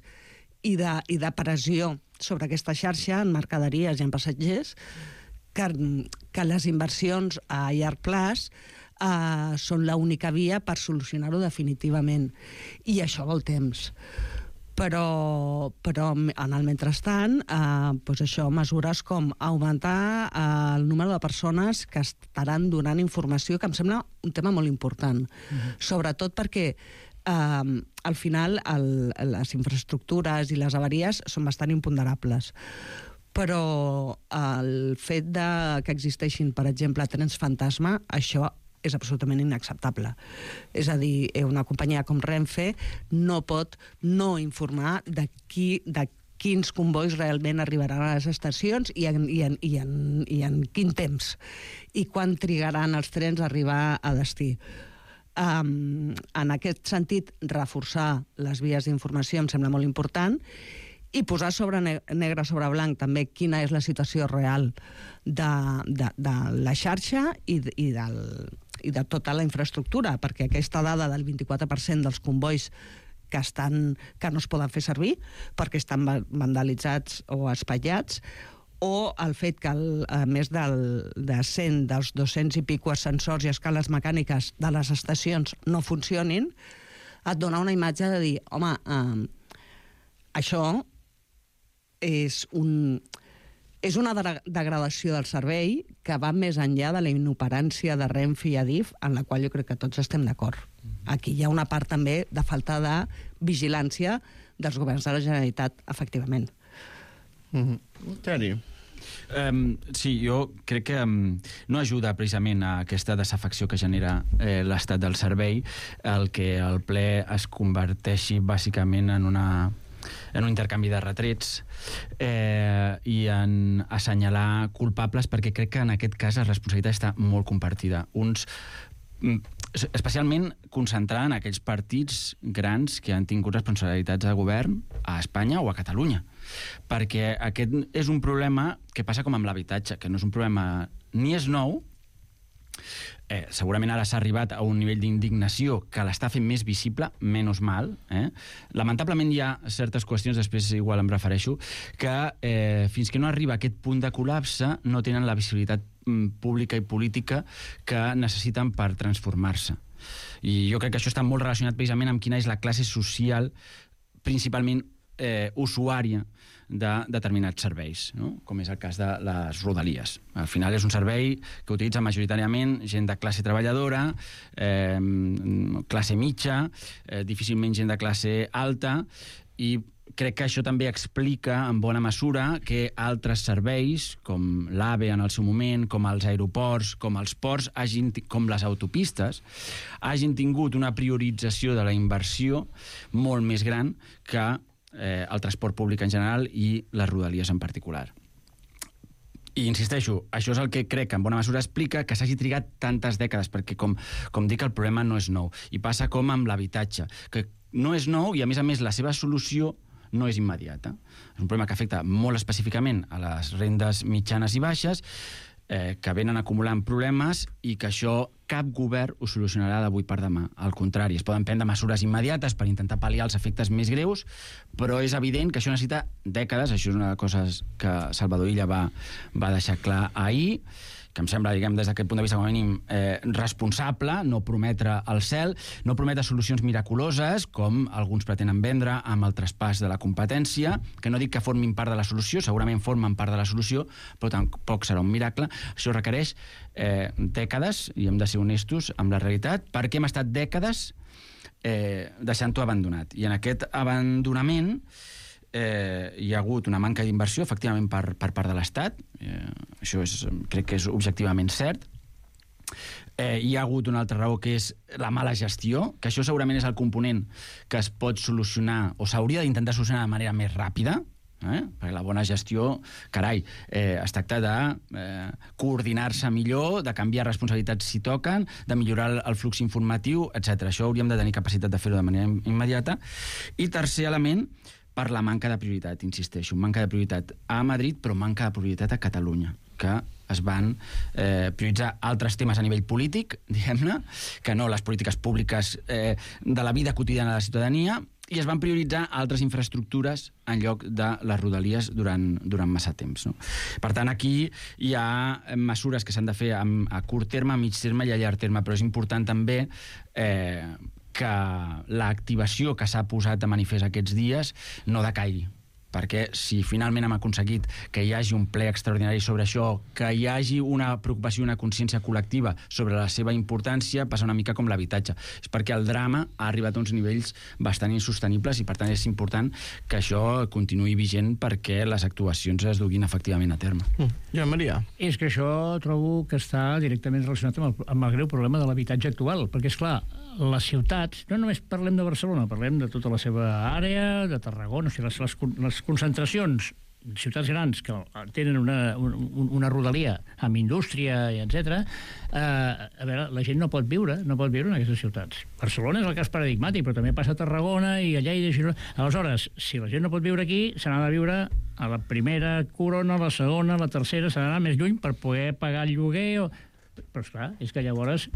i de pressió sobre aquesta xarxa en mercaderies i en passatgers, que les inversions a llarg plaç són l'única via per solucionar-ho definitivament. I això vol temps. Però en el mentrestant, doncs això, mesures com augmentar el número de persones que estaran donant informació, que em sembla un tema molt important. Sobretot perquè al final les infraestructures i les avaries són bastant imponderables. Però el fet que existeixin, per exemple, trens fantasma, això és absolutament inacceptable. És a dir, una companyia com Renfe no pot no informar de quins convois realment arribaran a les estacions i en quin temps, i quan trigaran els trens a arribar a destí. En aquest sentit, reforçar les vies d'informació em sembla molt important, i posar negre sobre blanc també quina és la situació real de la xarxa i de tota la infraestructura, perquè aquesta dada del 24% dels convois que no es poden fer servir perquè estan vandalitzats o espatllats, o el fet que més de 100 dels 200 i pico ascensors i escales mecàniques de les estacions no funcionin, et dona una imatge de dir, home, això és una degradació del servei que va més enllà de la inoperància de Renfe i Adif, en la qual jo crec que tots estem d'acord. Aquí hi ha una part també de falta de vigilància dels governs de la Generalitat, efectivament.
Toni.
Sí, jo crec que no ajuda precisament a aquesta desafecció que genera l'estat del servei el que el ple es converteixi bàsicament en un intercanvi de retrets i en assenyalar culpables, perquè crec que en aquest cas la responsabilitat està molt compartida. Especialment concentrada en aquells partits grans que han tingut responsabilitats de govern a Espanya o a Catalunya. Perquè aquest és un problema que passa com amb l'habitatge, que no és un problema ni és nou, segurament ara s'ha arribat a un nivell d'indignació que l'està fent més visible, menys mal. Lamentablement hi ha certes qüestions, després igual em refereixo, que fins que no arriba a aquest punt de col·lapse no tenen la visibilitat pública i política que necessiten per transformar-se. I jo crec que això està molt relacionat precisament amb quina és la classe social principalment usuària de determinats serveis, no? Com és el cas de les Rodalies. Al final és un servei que utilitza majoritàriament gent de classe treballadora, classe mitja, difícilment gent de classe alta, i crec que això també explica en bona mesura que altres serveis, com l'AVE en el seu moment, com els aeroports, com els ports, com les autopistes, hagin tingut una priorització de la inversió molt més gran que el transport públic en general i les Rodalies en particular. I insisteixo, això és el que crec que en bona mesura explica que s'hagi trigat tantes dècades, perquè com dic, el problema no és nou. I passa com amb l'habitatge, que no és nou i a més la seva solució no és immediata. És un problema que afecta molt específicament a les rendes mitjanes i baixes, que venen acumulant problemes i que això cap govern ho solucionarà d'avui per demà. Al contrari, es poden prendre mesures immediates per intentar pal·liar els efectes més greus, però és evident que això necessita dècades. Això és una de les coses que Salvador Illa va deixar clar ahir, que em sembla, diguem, des d'aquest punt de vista com a mínim responsable, no prometre el cel, no prometre solucions miraculoses, com alguns pretenen vendre amb el traspàs de la competència, que no dic que formin part de la solució, segurament formen part de la solució, però tampoc serà un miracle. Això requereix dècades, i hem de ser honestos amb la realitat, perquè hem estat dècades deixant-ho abandonat. I en aquest abandonament hi ha hagut una manca d'inversió, efectivament, per part de l'Estat. Això crec que és objectivament cert. Hi ha hagut una altra raó, que és la mala gestió, que això segurament és el component que es pot solucionar, o s'hauria d'intentar solucionar de manera més ràpida, perquè la bona gestió, carai, es tracta de coordinar-se millor, de canviar responsabilitats si toquen, de millorar el flux informatiu, etc. Això hauríem de tenir capacitat de fer-ho de manera immediata. I tercer element, per la manca de prioritat, insisteixo, manca de prioritat a Madrid, però manca de prioritat a Catalunya, que es van prioritzar altres temes a nivell polític, diguem-ne, que no les polítiques públiques de la vida quotidiana de la ciutadania, i es van prioritzar altres infraestructures en lloc de les Rodalies durant massa temps. No? Per tant, aquí hi ha mesures que s'han de fer a curt terme, a mig terme i a llarg terme, però és important també que l'activació que s'ha posat de manifest aquests dies no decaigui. Perquè si finalment hem aconseguit que hi hagi un ple extraordinari sobre això, que hi hagi una preocupació i una consciència col·lectiva sobre la seva importància, passa una mica com l'habitatge. És perquè el drama ha arribat a uns nivells bastant insostenibles i, per tant, és important que això continuï vigent perquè les actuacions es duguin efectivament a terme.
Joan Maria.
És que això trobo que està directament relacionat amb el greu problema de l'habitatge actual, perquè, és clar, les ciutats, no només parlem de Barcelona, parlem de tota la seva àrea, de Tarragona, o sigui, les les concentracions, ciutats grans que tenen una rodalia amb indústria, etc. A veure, la gent no pot viure en aquestes ciutats. Barcelona és el cas paradigmàtic, però també passa a Tarragona i a Lleida i a Girona. Aleshores, si la gent no pot viure aquí, se n'ha de viure a la primera corona, a la segona, a la tercera, s'ha d'anar més lluny per poder pagar el lloguer però esclar, és que llavors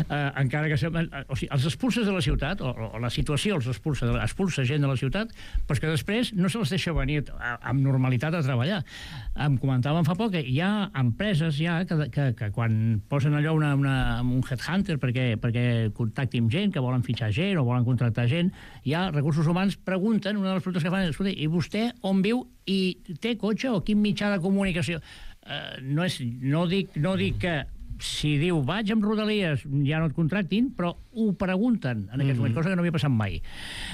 encara que els expulses de la ciutat o la situació els expulsa gent de la ciutat, però que després no se les deixa venir amb normalitat a treballar. Em comentaven fa poc que hi ha empreses que quan posen allò un headhunter perquè contactin gent, que volen fitxar gent o volen contractar gent, hi ha recursos humans pregunten, una de les preguntes que fan és, escolta, i vostè on viu i té cotxe o quin mitjà de comunicació? No dic que si diu vaig amb Rodalies ja no et contractin, però ho pregunten en aquests moments, cosa que no havia passat mai.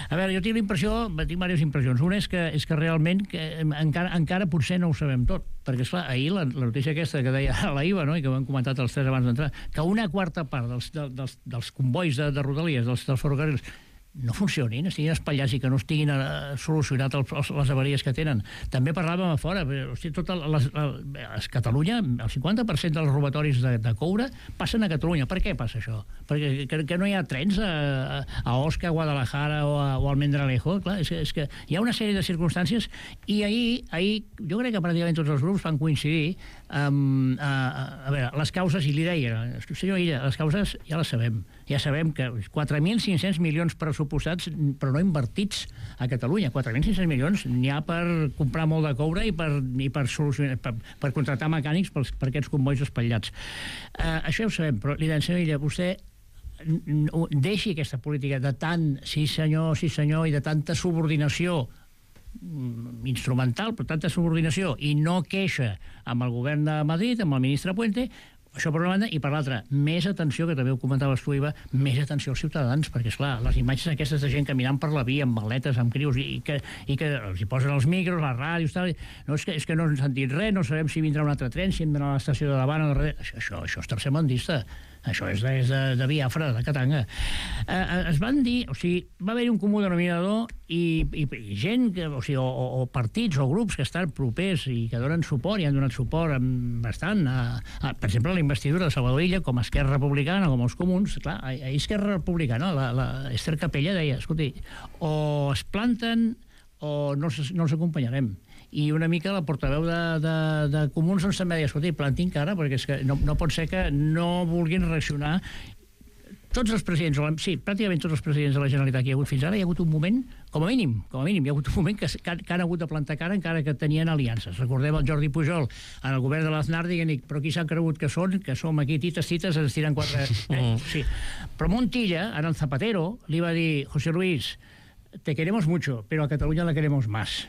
A veure, jo tinc diverses impressions. Una és que realment encara potser no ho sabem tot, perquè esclar, ahir la notícia aquesta que deia la IVA, no? I que ho hem comentat els tres abans d'entrar, que una quarta part dels convois de Rodalies, dels ferrocarrils, no funcionin, estiguin espatllats i que no estiguin solucionat les avaries que tenen. També parlàvem a fora, a Catalunya, el 50% dels robatoris de coure passen a Catalunya. Per què passa això? Perquè no hi ha trens a Osca, a Guadalajara o a Almendralejo. Clar, és que hi ha una sèrie de circumstàncies i ahir jo crec que pràcticament tots els grups van coincidir a veure, les causes, i li deia, senyor Illa, les causes ja les sabem. Ja sabem que 4.500 milions pressupostats, però no invertits a Catalunya. 4.500 milions n'hi ha per comprar molt de coure i per contractar mecànics per aquests convois espatllats. Això ja ho sabem, però li deia, senyor Illa, vostè deixi aquesta política de tant sí senyor, i de tanta subordinació instrumental, però tanta subordinació, i no queixa amb el govern de Madrid, amb el ministre Puente. Això per una banda, i per l'altra, més atenció, que també ho comentaves tu, Iva, més atenció als ciutadans, perquè, esclar, les imatges aquestes de gent caminant per la via, amb maletes, amb crius, i que els hi posen els micros, les ràdios, tal, no, és que no ens han dit res, no sabem si vindrà un altre tren, si hem d'anar a l'estació de davant o darrere. Això és tercermundista. Això és de Biafra, de Katanga. Es van dir, va haver-hi un comú denominador i gent, o partits o grups que estan propers i que donen suport i han donat suport bastant, per exemple, a la investidura de Salvador Illa, com a Esquerra Republicana, com els comuns. Clar, a Esquerra Republicana, la Esther Capella deia, escolti, o es planten o no els acompanyarem. I una mica la portaveu de Comuns ens també deia, escolta, plantin cara, perquè és que no pot ser que no vulguin reaccionar. Tots els presidents, sí, pràcticament tots els presidents de la Generalitat que hi ha hagut fins ara, hi ha hagut un moment, com a mínim, hi ha hagut un moment que han hagut de plantar cara encara que tenien aliances. Recordem el Jordi Pujol en el govern de l'Aznar dient, però qui s'han cregut que som aquí tites, ens tiren quatre... Sí. Però Montilla, en el Zapatero, li va dir, José Luis, te queremos mucho, pero a Catalunya la queremos más.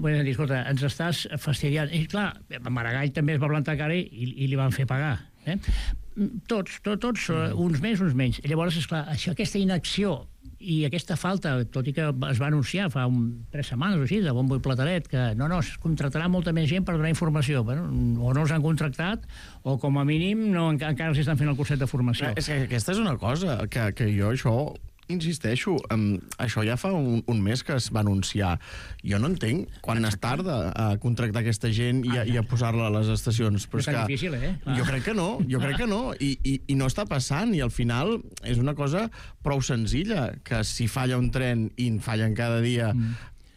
Vull dir, escolta, ens estàs fastidiant. I clar, Maragall també es va plantar cara i li van fer pagar. Tots, uns més, uns menys. I llavors, esclar, aquesta inacció i aquesta falta, tot i que es va anunciar fa 3 setmanes o així, de bombo i plateret, que no, es contractarà molta més gent per donar informació. Bueno, o no els han contractat, o com a mínim encara els estan fent el curset de formació.
És que aquesta és una cosa, que jo això... Insisteixo, això ja fa un mes que es va anunciar. Jo no entenc quan es tarda a contractar aquesta gent i a posar-la a les estacions. Però és que
difícil,
jo crec que no, i no està passant, i al final és una cosa prou senzilla, que si falla un tren i en fallen cada dia,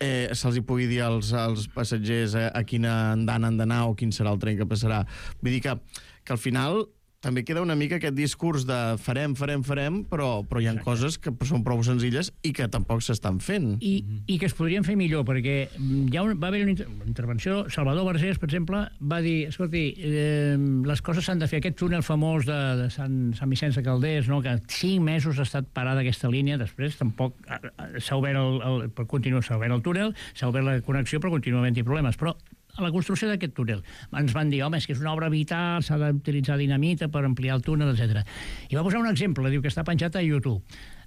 se'ls hi pugui dir als passatgers a quina andana han d'anar o quin serà el tren que passarà. Vull dir que al final també queda una mica aquest discurs de farem, però hi ha coses que són prou senzilles i que tampoc s'estan fent.
I que es podrien fer millor, perquè va haver una intervenció. Salvador Vergés, per exemple, va dir, escolti, les coses s'han de fer. Aquest túnel famós de Sant Vicenç de Calders, no, que 5 mesos ha estat parada aquesta línia, després tampoc s'ha obert el túnel, s'ha obert la connexió, però continua havent-hi problemes. Però a la construcció d'aquest túnel ens van dir, home, és que és una obra vital, s'ha d'utilitzar dinamita per ampliar el túnel, etc. I va posar un exemple, diu que està penjat a YouTube.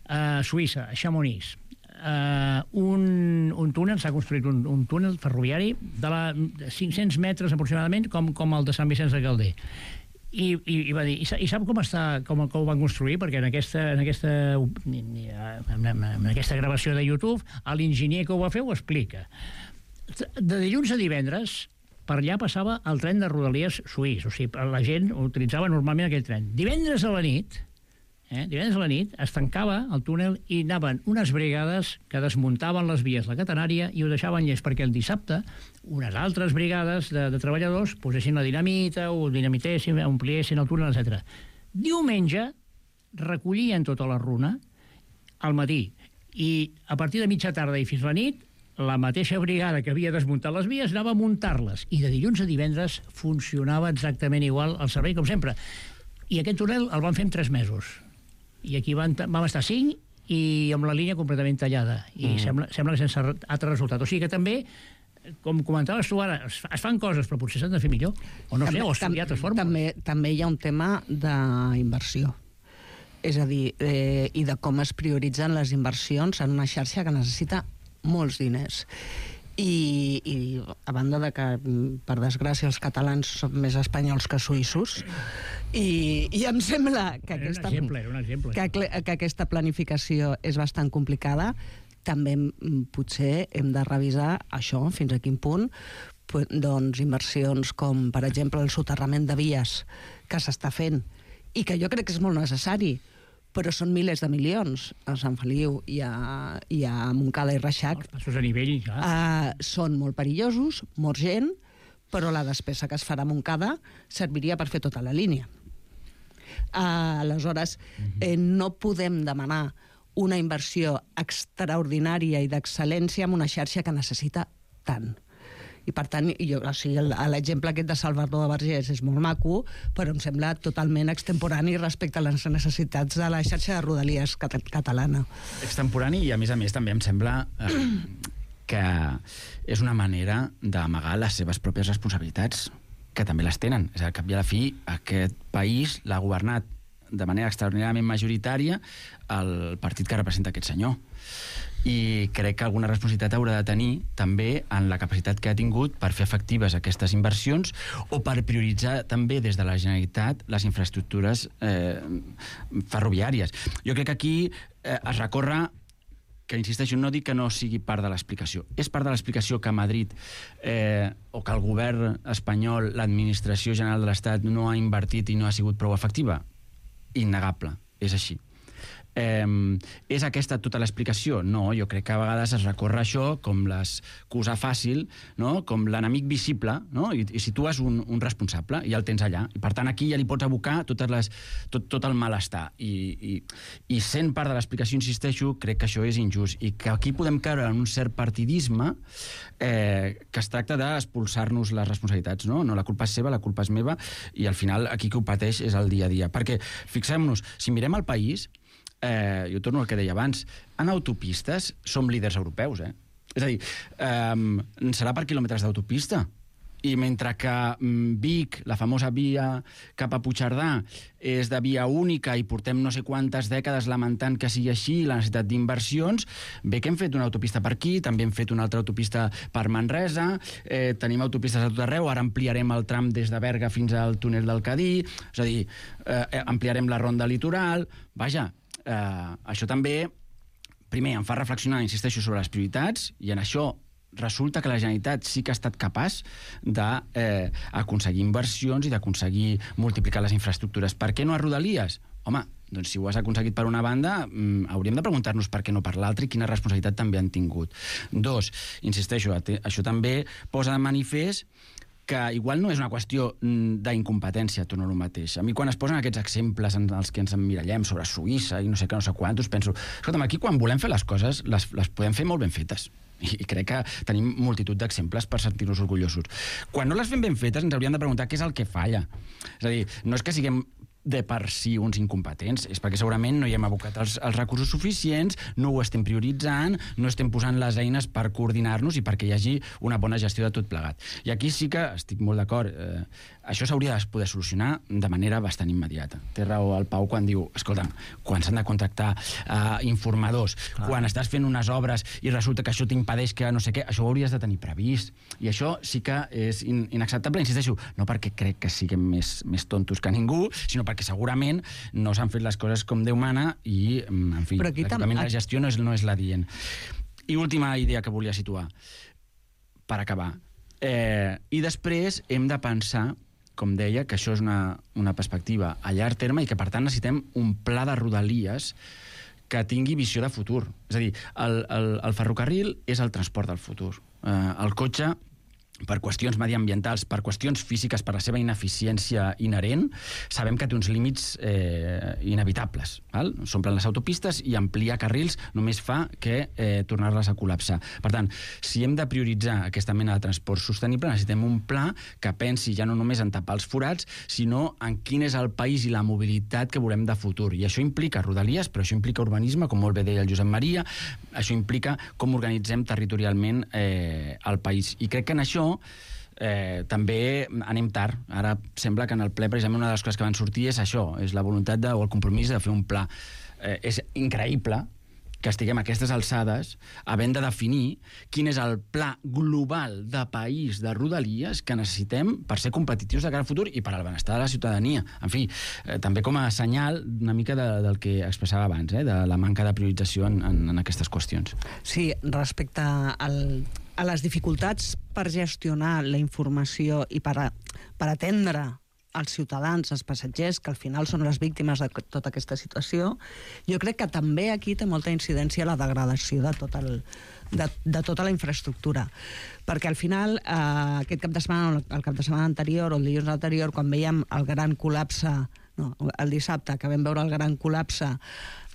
A Suïssa, a Chamonix, un túnel, s'ha construït un túnel ferroviari de 500 metres aproximadament, com el de Sant Vicenç de Calder. I va dir, i sap com ho van construir? Perquè en aquesta gravació de YouTube l'enginyer que ho va fer ho explica. de dilluns a divendres, per allà passava el tren de Rodalies suís, o sigui, la gent utilitzava normalment aquell tren. Divendres a la nit es tancava el túnel i anaven unes brigades que desmuntaven les vies de la catenària i ho deixaven llest perquè el dissabte unes altres brigades de treballadors posessin la dinamita, o dinamitessin, ompliessin el túnel, etc. Diumenge recollien tota la runa al matí i a partir de mitja tarda i fins la nit la mateixa brigada que havia desmuntat les vies anava a muntar-les i de dilluns a divendres funcionava exactament igual el servei com sempre. I aquest túnel el van fer en 3 mesos. I aquí vam estar 5 i amb la línia completament tallada. I sembla que sense altre resultat. O sigui que també, com comentaves tu ara, es fan coses, però potser s'han de fer millor. O no sé, o estudiar altres fórmules.
També hi ha un tema d'inversió. És a dir, i de com es prioritzen les inversions en una xarxa que necessita molts diners. I a banda de que, per desgràcia, els catalans són més espanyols que suïssos, i em sembla que aquesta planificació és bastant complicada, també potser hem de revisar això, fins a quin punt, doncs inversions com, per exemple, el soterrament de vies que s'està fent, i que jo crec que és molt necessari, però són milers de milions. A Sant Feliu i a Montcada i Reixac.
Els passos a nivell, clar.
Són molt perillosos, mor gent, però la despesa que es farà a Montcada serviria per fer tota la línia. Aleshores, no podem demanar una inversió extraordinària i d'excel·lència en una xarxa que necessita tant. I, per tant, l'exemple aquest de Salvador de Vergés és molt maco, però em sembla totalment extemporani respecte a les necessitats de la xarxa de Rodalies catalana.
Extemporani i, a més, també em sembla que és una manera d'amagar les seves pròpies responsabilitats, que també les tenen. És a dir, al cap i a la fi, aquest país l'ha governat de manera extraordinàriament majoritària el partit que representa aquest senyor. I crec que alguna responsabilitat haurà de tenir també en la capacitat que ha tingut per fer efectives aquestes inversions o per prioritzar també des de la Generalitat les infraestructures ferroviàries. Jo crec que aquí es recorre, que insisteixo, no dic que no sigui part de l'explicació. És part de l'explicació que a Madrid o que el govern espanyol, l'administració general de l'Estat no ha invertit i no ha sigut prou efectiva? Innegable, és així. És aquesta tota l'explicació? No, jo crec que a vegades es recorre això com l'excusa fàcil, no? Com l'enemic visible, no? I situes un responsable i el tens allà. I per tant aquí ja li pots abocar tot el malestar. I sent part de l'explicació, insisteixo, crec que això és injust i que aquí podem caure en un cert partidisme que es tracta d'expulsar-nos les responsabilitats, no? No, la culpa és seva, la culpa és meva, i al final aquí qui ho pateix és el dia a dia. Perquè, fixem-nos, si mirem el país, jo torno al que deia abans, en autopistes som líders europeus, És a dir, serà per quilòmetres d'autopista. I mentre que Vic, la famosa via cap a Puigcerdà, és de via única i portem no sé quantes dècades lamentant que sigui així, la necessitat d'inversions, bé que hem fet una autopista per aquí, també hem fet una altra autopista per Manresa, tenim autopistes a tot arreu, ara ampliarem el tram des de Berga fins al túnel del Cadí, és a dir, ampliarem la ronda litoral. Vaja, això també, primer, em fa reflexionar, insisteixo, sobre les prioritats, i en això resulta que la Generalitat sí que ha estat capaç d'aconseguir inversions i d'aconseguir multiplicar les infraestructures. Per què no a Rodalies? Home, doncs si ho has aconseguit per una banda, hauríem de preguntar-nos per què no per l'altra i quina responsabilitat també han tingut. 2, insisteixo, això també posa de manifest que igual no és una qüestió d'incompetència, torno a lo mateix. A mi quan es posen aquests exemples en els que ens emmirallem sobre Suïssa i no sé què, no sé quantos, penso, escolta'm, aquí quan volem fer les coses les podem fer molt ben fetes. I crec que tenim multitud d'exemples per sentir-nos orgullosos. Quan no les fem ben fetes ens hauríem de preguntar què és el que falla. És a dir, no és que siguem de per si uns incompetents, és perquè segurament no hi hem abocat els recursos suficients, no ho estem prioritzant, no estem posant les eines per coordinar-nos i perquè hi hagi una bona gestió de tot plegat. I aquí sí que estic molt d'acord. Això s'hauria de poder solucionar de manera bastant immediata. Té raó el Pau quan diu, escolta'm, quan s'han de contractar informadors, quan estàs fent unes obres i resulta que això t'impedeix que no sé què, això ho hauries de tenir previst. I això sí que és inacceptable, insisteixo, no perquè crec que siguem més tontos que ningú, sinó perquè segurament no s'han fet les coses com Déu mana i, en fi, la gestió no és la dient. I última idea que volia situar. per acabar. I després hem de pensar, com deia, que això és una perspectiva a llarg terme i que, per tant, necessitem un pla de Rodalies que tingui visió de futur. És a dir, el ferrocarril és el transport del futur. El cotxe, per qüestions mediambientals, per qüestions físiques, per la seva ineficiència inherent, sabem que té uns límits inevitables. S'omplen les autopistes i ampliar carrils només fa que tornar-les a col·lapsar. Per tant, si hem de prioritzar aquesta mena de transport sostenible, necessitem un pla que pensi ja no només en tapar els forats, sinó en quin és el país i la mobilitat que volem de futur. I això implica rodalies, però això implica urbanisme, com molt bé deia el Josep Maria, això implica com organitzem territorialment el país. I crec que en això també anem tard. Ara sembla que en el ple, precisament, una de les coses que van sortir és això, és la voluntat o el compromís de fer un pla. És increïble que estiguem a aquestes alçades havent de definir quin és el pla global de país de Rodalies que necessitem per ser competitius de cara al futur i per al benestar de la ciutadania. En fi, també com a senyal una mica del que expressava abans, de la manca de priorització en aquestes qüestions.
Sí, respecte a les dificultats per gestionar la informació i per atendre els ciutadans, els passatgers, que al final són les víctimes de tota aquesta situació, jo crec que també aquí té molta incidència la degradació de tota la infraestructura. Perquè al final, aquest cap de setmana, el cap de setmana anterior o el dilluns anterior, quan veiem el gran col·lapse, el dissabte, que vam veure el gran col·lapse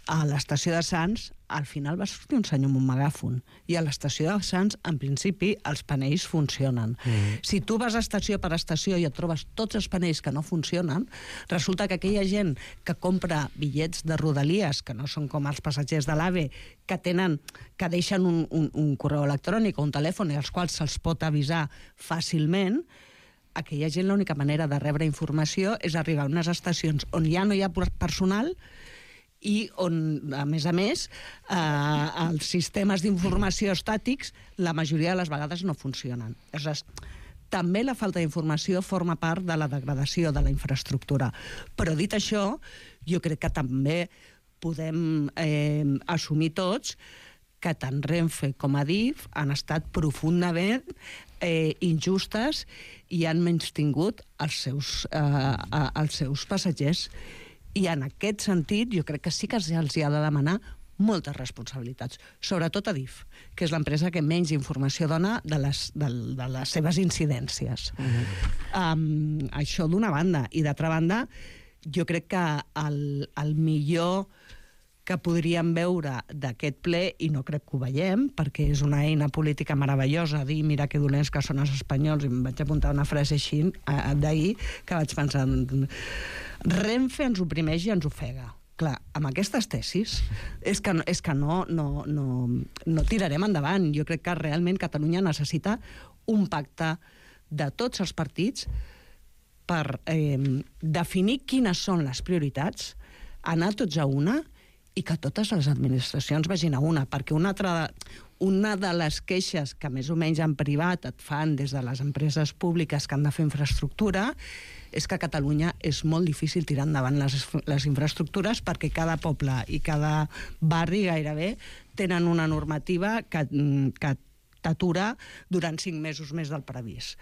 a l'estació de Sants, al final va sortir un senyor amb un megàfon. I a l'estació de Sants, en principi, els panells funcionen. Si tu vas estació per estació i et trobes tots els panells que no funcionen, resulta que aquella gent que compra bitllets de Rodalies, que no són com els passatgers de l'AVE, que deixen un correu electrònic o un telèfon i als quals se'ls pot avisar fàcilment, aquella gent l'única manera de rebre informació és arribar a unes estacions on ja no hi ha personal i on, a més, els sistemes d'informació estàtics la majoria de les vegades no funcionen. Aleshores, també la falta d'informació forma part de la degradació de la infraestructura. Però dit això, jo crec que també podem assumir tots que tant Renfe com Adif han estat profundament injustes i han menystingut els seus passatgers. I en aquest sentit, jo crec que sí que els hi ha de demanar moltes responsabilitats, sobretot Adif, que és l'empresa que menys informació dona de les seves incidències. Això d'una banda. I d'altra banda, jo crec que el millor que podríem veure d'aquest ple, i no crec que ho veiem, perquè és una eina política meravellosa, dir mira que dolents que són els espanyols, i em vaig apuntar una frase així d'ahir, que vaig pensar, Renfe ens oprimeix i ens ofega. Clar, amb aquestes tesis és que no tirarem endavant. Jo crec que realment Catalunya necessita un pacte de tots els partits per definir quines són les prioritats, anar tots a una i que totes les administracions vagin a una, perquè una de les queixes que més o menys en privat et fan des de les empreses públiques que han de fer infraestructura és que a Catalunya és molt difícil tirar endavant les infraestructures perquè cada poble i cada barri gairebé tenen una normativa que t'atura durant 5 mesos més del previst.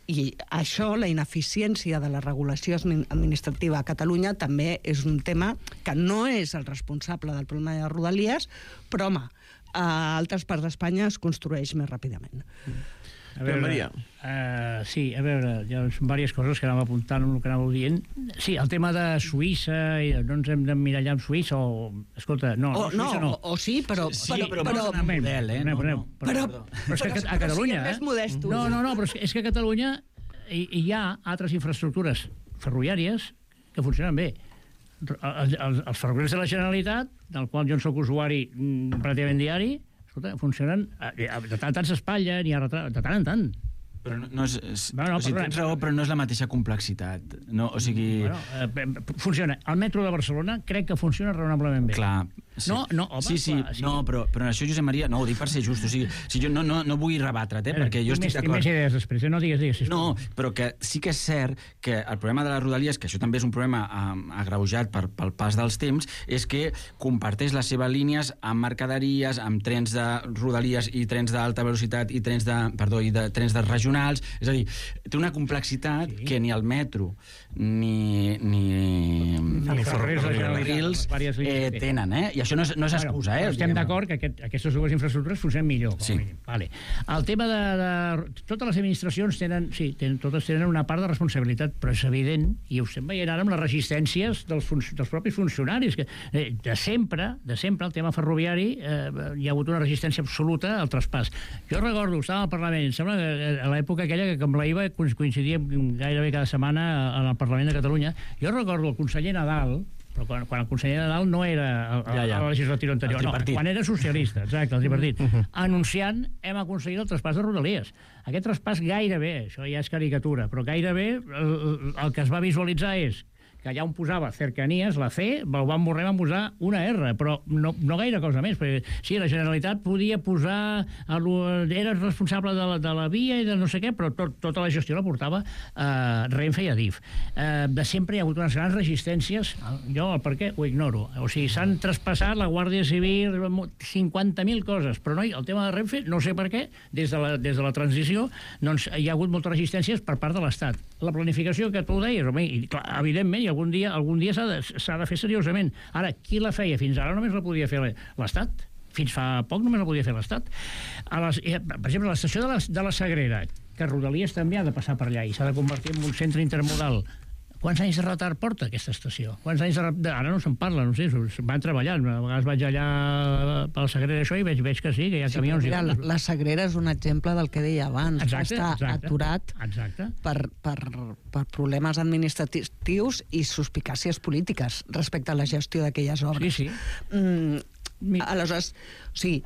I això, la ineficiència de la regulació administrativa a Catalunya, també és un tema que no és el responsable del problema de Rodalies, però, home, a altres parts d'Espanya es construeix més ràpidament.
A veure, Maria. Sí, a veure, hi ha diverses coses que anava apuntant el que anàveu dient. Sí, el tema de Suïssa, no ens hem d'emmirallar amb Suïssa, o... Escolta, no, Suïssa no.
O sí, però...
Però model,
Però és que a Catalunya... No, però és que a Catalunya hi ha altres infraestructures ferroviàries que funcionen bé. Els ferrocarrils de la Generalitat, del qual jo en soc usuari pràcticament diari, escolta, funcionen, de tant s'espatlla, n'hi ha de tant en tant.
Però no és... tens raó, però no és la mateixa complexitat. No, o sigui...
Funciona. El metro de Barcelona crec que funciona raonablement bé.
Clar,
No, home...
Sí, no, però en això, Josep Maria, no, ho dic per ser just, o sigui, jo no vull rebatre't, perquè jo estic d'acord.
Més idees després, no digues, sisplau.
No, però que sí que és cert que el problema de les rodalies, que això també és un problema agreujat pel pas dels temps, és que comparteix les seves línies amb mercaderies, amb trens de rodalies i trens d'alta velocitat i trens de regionals, és a dir, té una complexitat que ni el metro ni ferrocarrils tenen, i això no és excusa.
Estem d'acord que aquestes dues infraestructures funcionen millor.
Sí.
Vale. El tema de... Totes les administracions totes tenen una part de responsabilitat, però és evident, i ho estem veient ara amb les resistències dels propis funcionaris, que de sempre el tema ferroviari hi ha hagut una resistència absoluta al traspàs. Jo recordo, estava al Parlament, em sembla que a l'època aquella que amb la IVA coincidíem gairebé cada setmana al Parlament de Catalunya, jo recordo el conseller Nadal, però quan el conseller Nadal no era a la legislatura anterior, quan era socialista, exacte, el tripartit, anunciant hem aconseguit el traspàs de Rodalies. Aquest traspàs gairebé, això ja és caricatura, però gairebé el que es va visualitzar és que allà on posava cercanies, la C, el van posar una R, però no gaire cosa més, perquè sí, la Generalitat podia posar... Era responsable de la via i de no sé què, però tota la gestió la portava Renfe i Adif. De sempre hi ha hagut unes grans resistències, jo el per què ho ignoro, o sigui, s'han traspassat la Guàrdia Civil, 50.000 coses, però no, el tema de Renfe, no sé per què, des de la transició, doncs hi ha hagut moltes resistències per part de l'Estat. La planificació que tu deies, home, i clar, evidentment, algun dia s'ha de fer seriosament. Ara, qui la feia? Fins ara només la podia fer l'Estat. Fins fa poc només la podia fer l'Estat. Per exemple, l'estació de la Sagrera, que Rodalies també ha de passar per allà i s'ha de convertir en un centre intermodal. Quants anys de retard porta aquesta estació? Quants anys de retard? Ara no se'n parla, no sé, van treballant. A vegades vaig allà per la Sagrera això i veig que sí, que hi ha camions.
Mira, la Sagrera és un exemple del que deia abans. Està aturat per problemes administratius i suspicàcies polítiques respecte a la gestió d'aquelles obres.
Sí.
Aleshores, o sigui,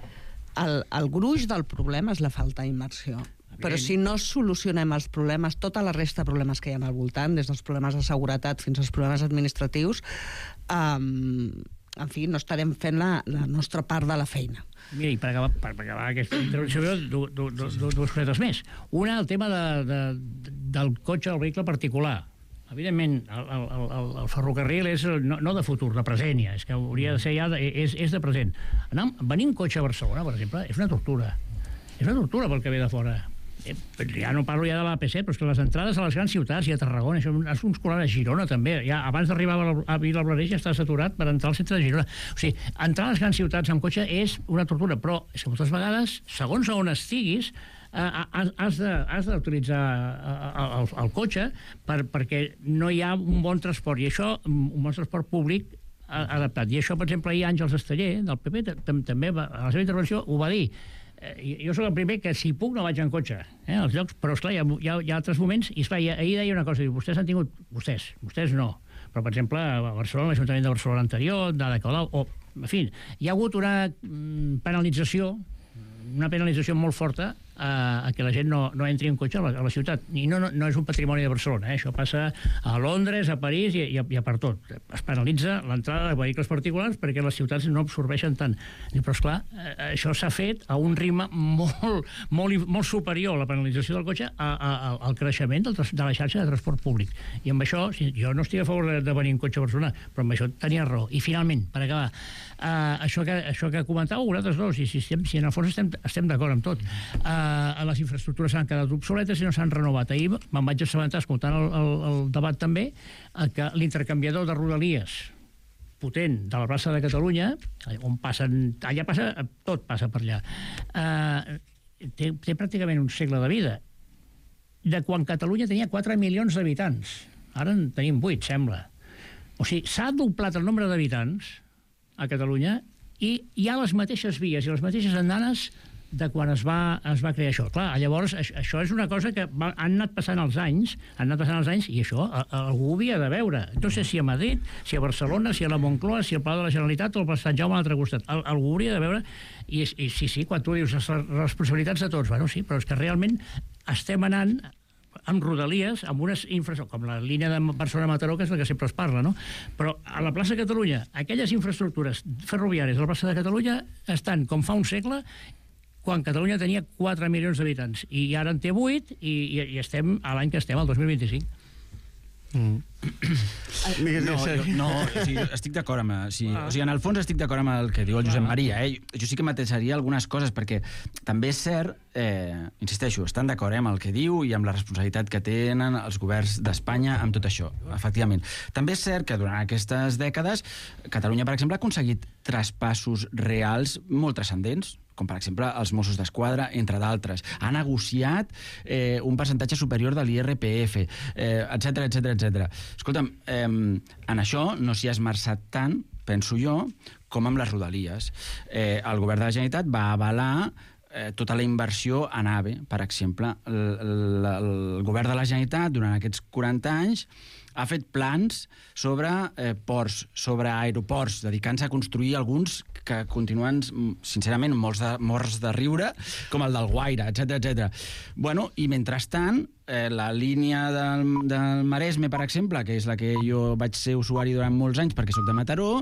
el gruix del problema és la falta d'immersió. Però si no solucionem els problemes, tota la resta de problemes que hi ha al voltant, des dels problemes de seguretat fins als problemes administratius, en fi, no estarem fent la nostra part de la feina.
Mira, i per acabar aquesta intervenció, dues cosetes més. Una, el tema del cotxe, del vehicle particular. Evidentment, el ferrocarril és no de futur, de present ja, és que hauria de ser ja, és de present. Venir un cotxe a Barcelona, per exemple, és una tortura. És una tortura pel que ve de fora. Ja no parlo ja de l'AP7, però és que les entrades a les grans ciutats i a Tarragona, això és uns colors a Girona també, ja abans d'arribar a Vilablareix ja està saturat per entrar al centre de Girona. O sigui, entrar a les grans ciutats amb cotxe és una tortura, però és que moltes vegades, segons on estiguis, has d'utilitzar el cotxe perquè no hi ha un bon transport, i això, un bon transport públic adaptat. I això, per exemple, ahir Àngels Esteller, del PP, també a la seva intervenció ho va dir. Jo soc el primer que, si puc, no vaig en cotxe als llocs, però, esclar, hi ha altres moments, i esclar, ahir deia una cosa, vostès han tingut... Vostès no, però, per exemple, a Barcelona, l'Ajuntament de Barcelona anterior, d'Ada Colau, en fi, hi ha hagut una penalització molt forta a que la gent no entri en cotxe a la ciutat. I no és un patrimoni de Barcelona, això passa a Londres, a París i a per tot. Es penalitza l'entrada de vehicles particulars perquè les ciutats no absorbeixen tant. Però, esclar, això s'ha fet a un ritme molt superior, la penalització del cotxe, al creixement de la xarxa de transport públic. I amb això, jo no estic a favor de venir en cotxe a Barcelona, però amb això tenia raó. I finalment, per acabar, això que comentàveu vosaltres dos, i si en el fons estem d'acord amb tot, les infraestructures s'han quedat obsoletes i no s'han renovat. Ahir me'n vaig assabentar, escoltant el debat també, que l'intercanviador de Rodalies potent de la plaça de Catalunya, on allà tot passa per allà, té pràcticament un segle de vida. De quan Catalunya tenia 4 milions d'habitants. Ara en tenim 8, sembla. O sigui, s'ha doblat el nombre d'habitants a Catalunya i hi ha les mateixes vies i les mateixes andanes de quan es va crear això. Clar, llavors, això és una cosa que han anat passant els anys, i això algú ho havia de veure. No sé si a Madrid, si a Barcelona, si a la Moncloa, si al Palau de la Generalitat o al Sant Jaume a l'altre costat. Algú ho hauria de veure, i sí, quan tu dius les responsabilitats de tots, bueno, sí, però és que realment estem anant amb rodalies, amb unes infraestructures, com la línia de Barcelona-Mataró, que és la que sempre es parla, no? Però a la plaça de Catalunya, aquelles infraestructures ferroviàries de la plaça de Catalunya estan com fa un segle, quan Catalunya tenia 4 milions d'habitants, i ara en té 8, i estem a l'any que estem, el 2025.
No, o sigui, estic d'acord amb... O sigui, en el fons estic d'acord amb el que diu el Josep Maria. Jo sí que matisaria algunes coses, perquè també és cert, insisteixo, estan d'acord amb el que diu i amb la responsabilitat que tenen els governs d'Espanya amb tot això, efectivament. També és cert que durant aquestes dècades Catalunya, per exemple, ha aconseguit traspassos reals molt transcendents, com per exemple els Mossos d'Esquadra, entre d'altres. Ha negociat un percentatge superior de l'IRPF, etc. Escolta'm, en això no s'hi ha esmerçat tant, penso jo, com amb les rodalies. El govern de la Generalitat va avalar tota la inversió en AVE, per exemple. El govern de la Generalitat, durant aquests 40 anys, ha fet plans sobre ports, sobre aeroports, dedicant-se a construir alguns que continuen, sincerament, morts de riure, com el del Guaire, etc. Bueno, i mentrestant, la línia del Maresme, per exemple, que és la que jo vaig ser usuari durant molts anys perquè sóc de Mataró,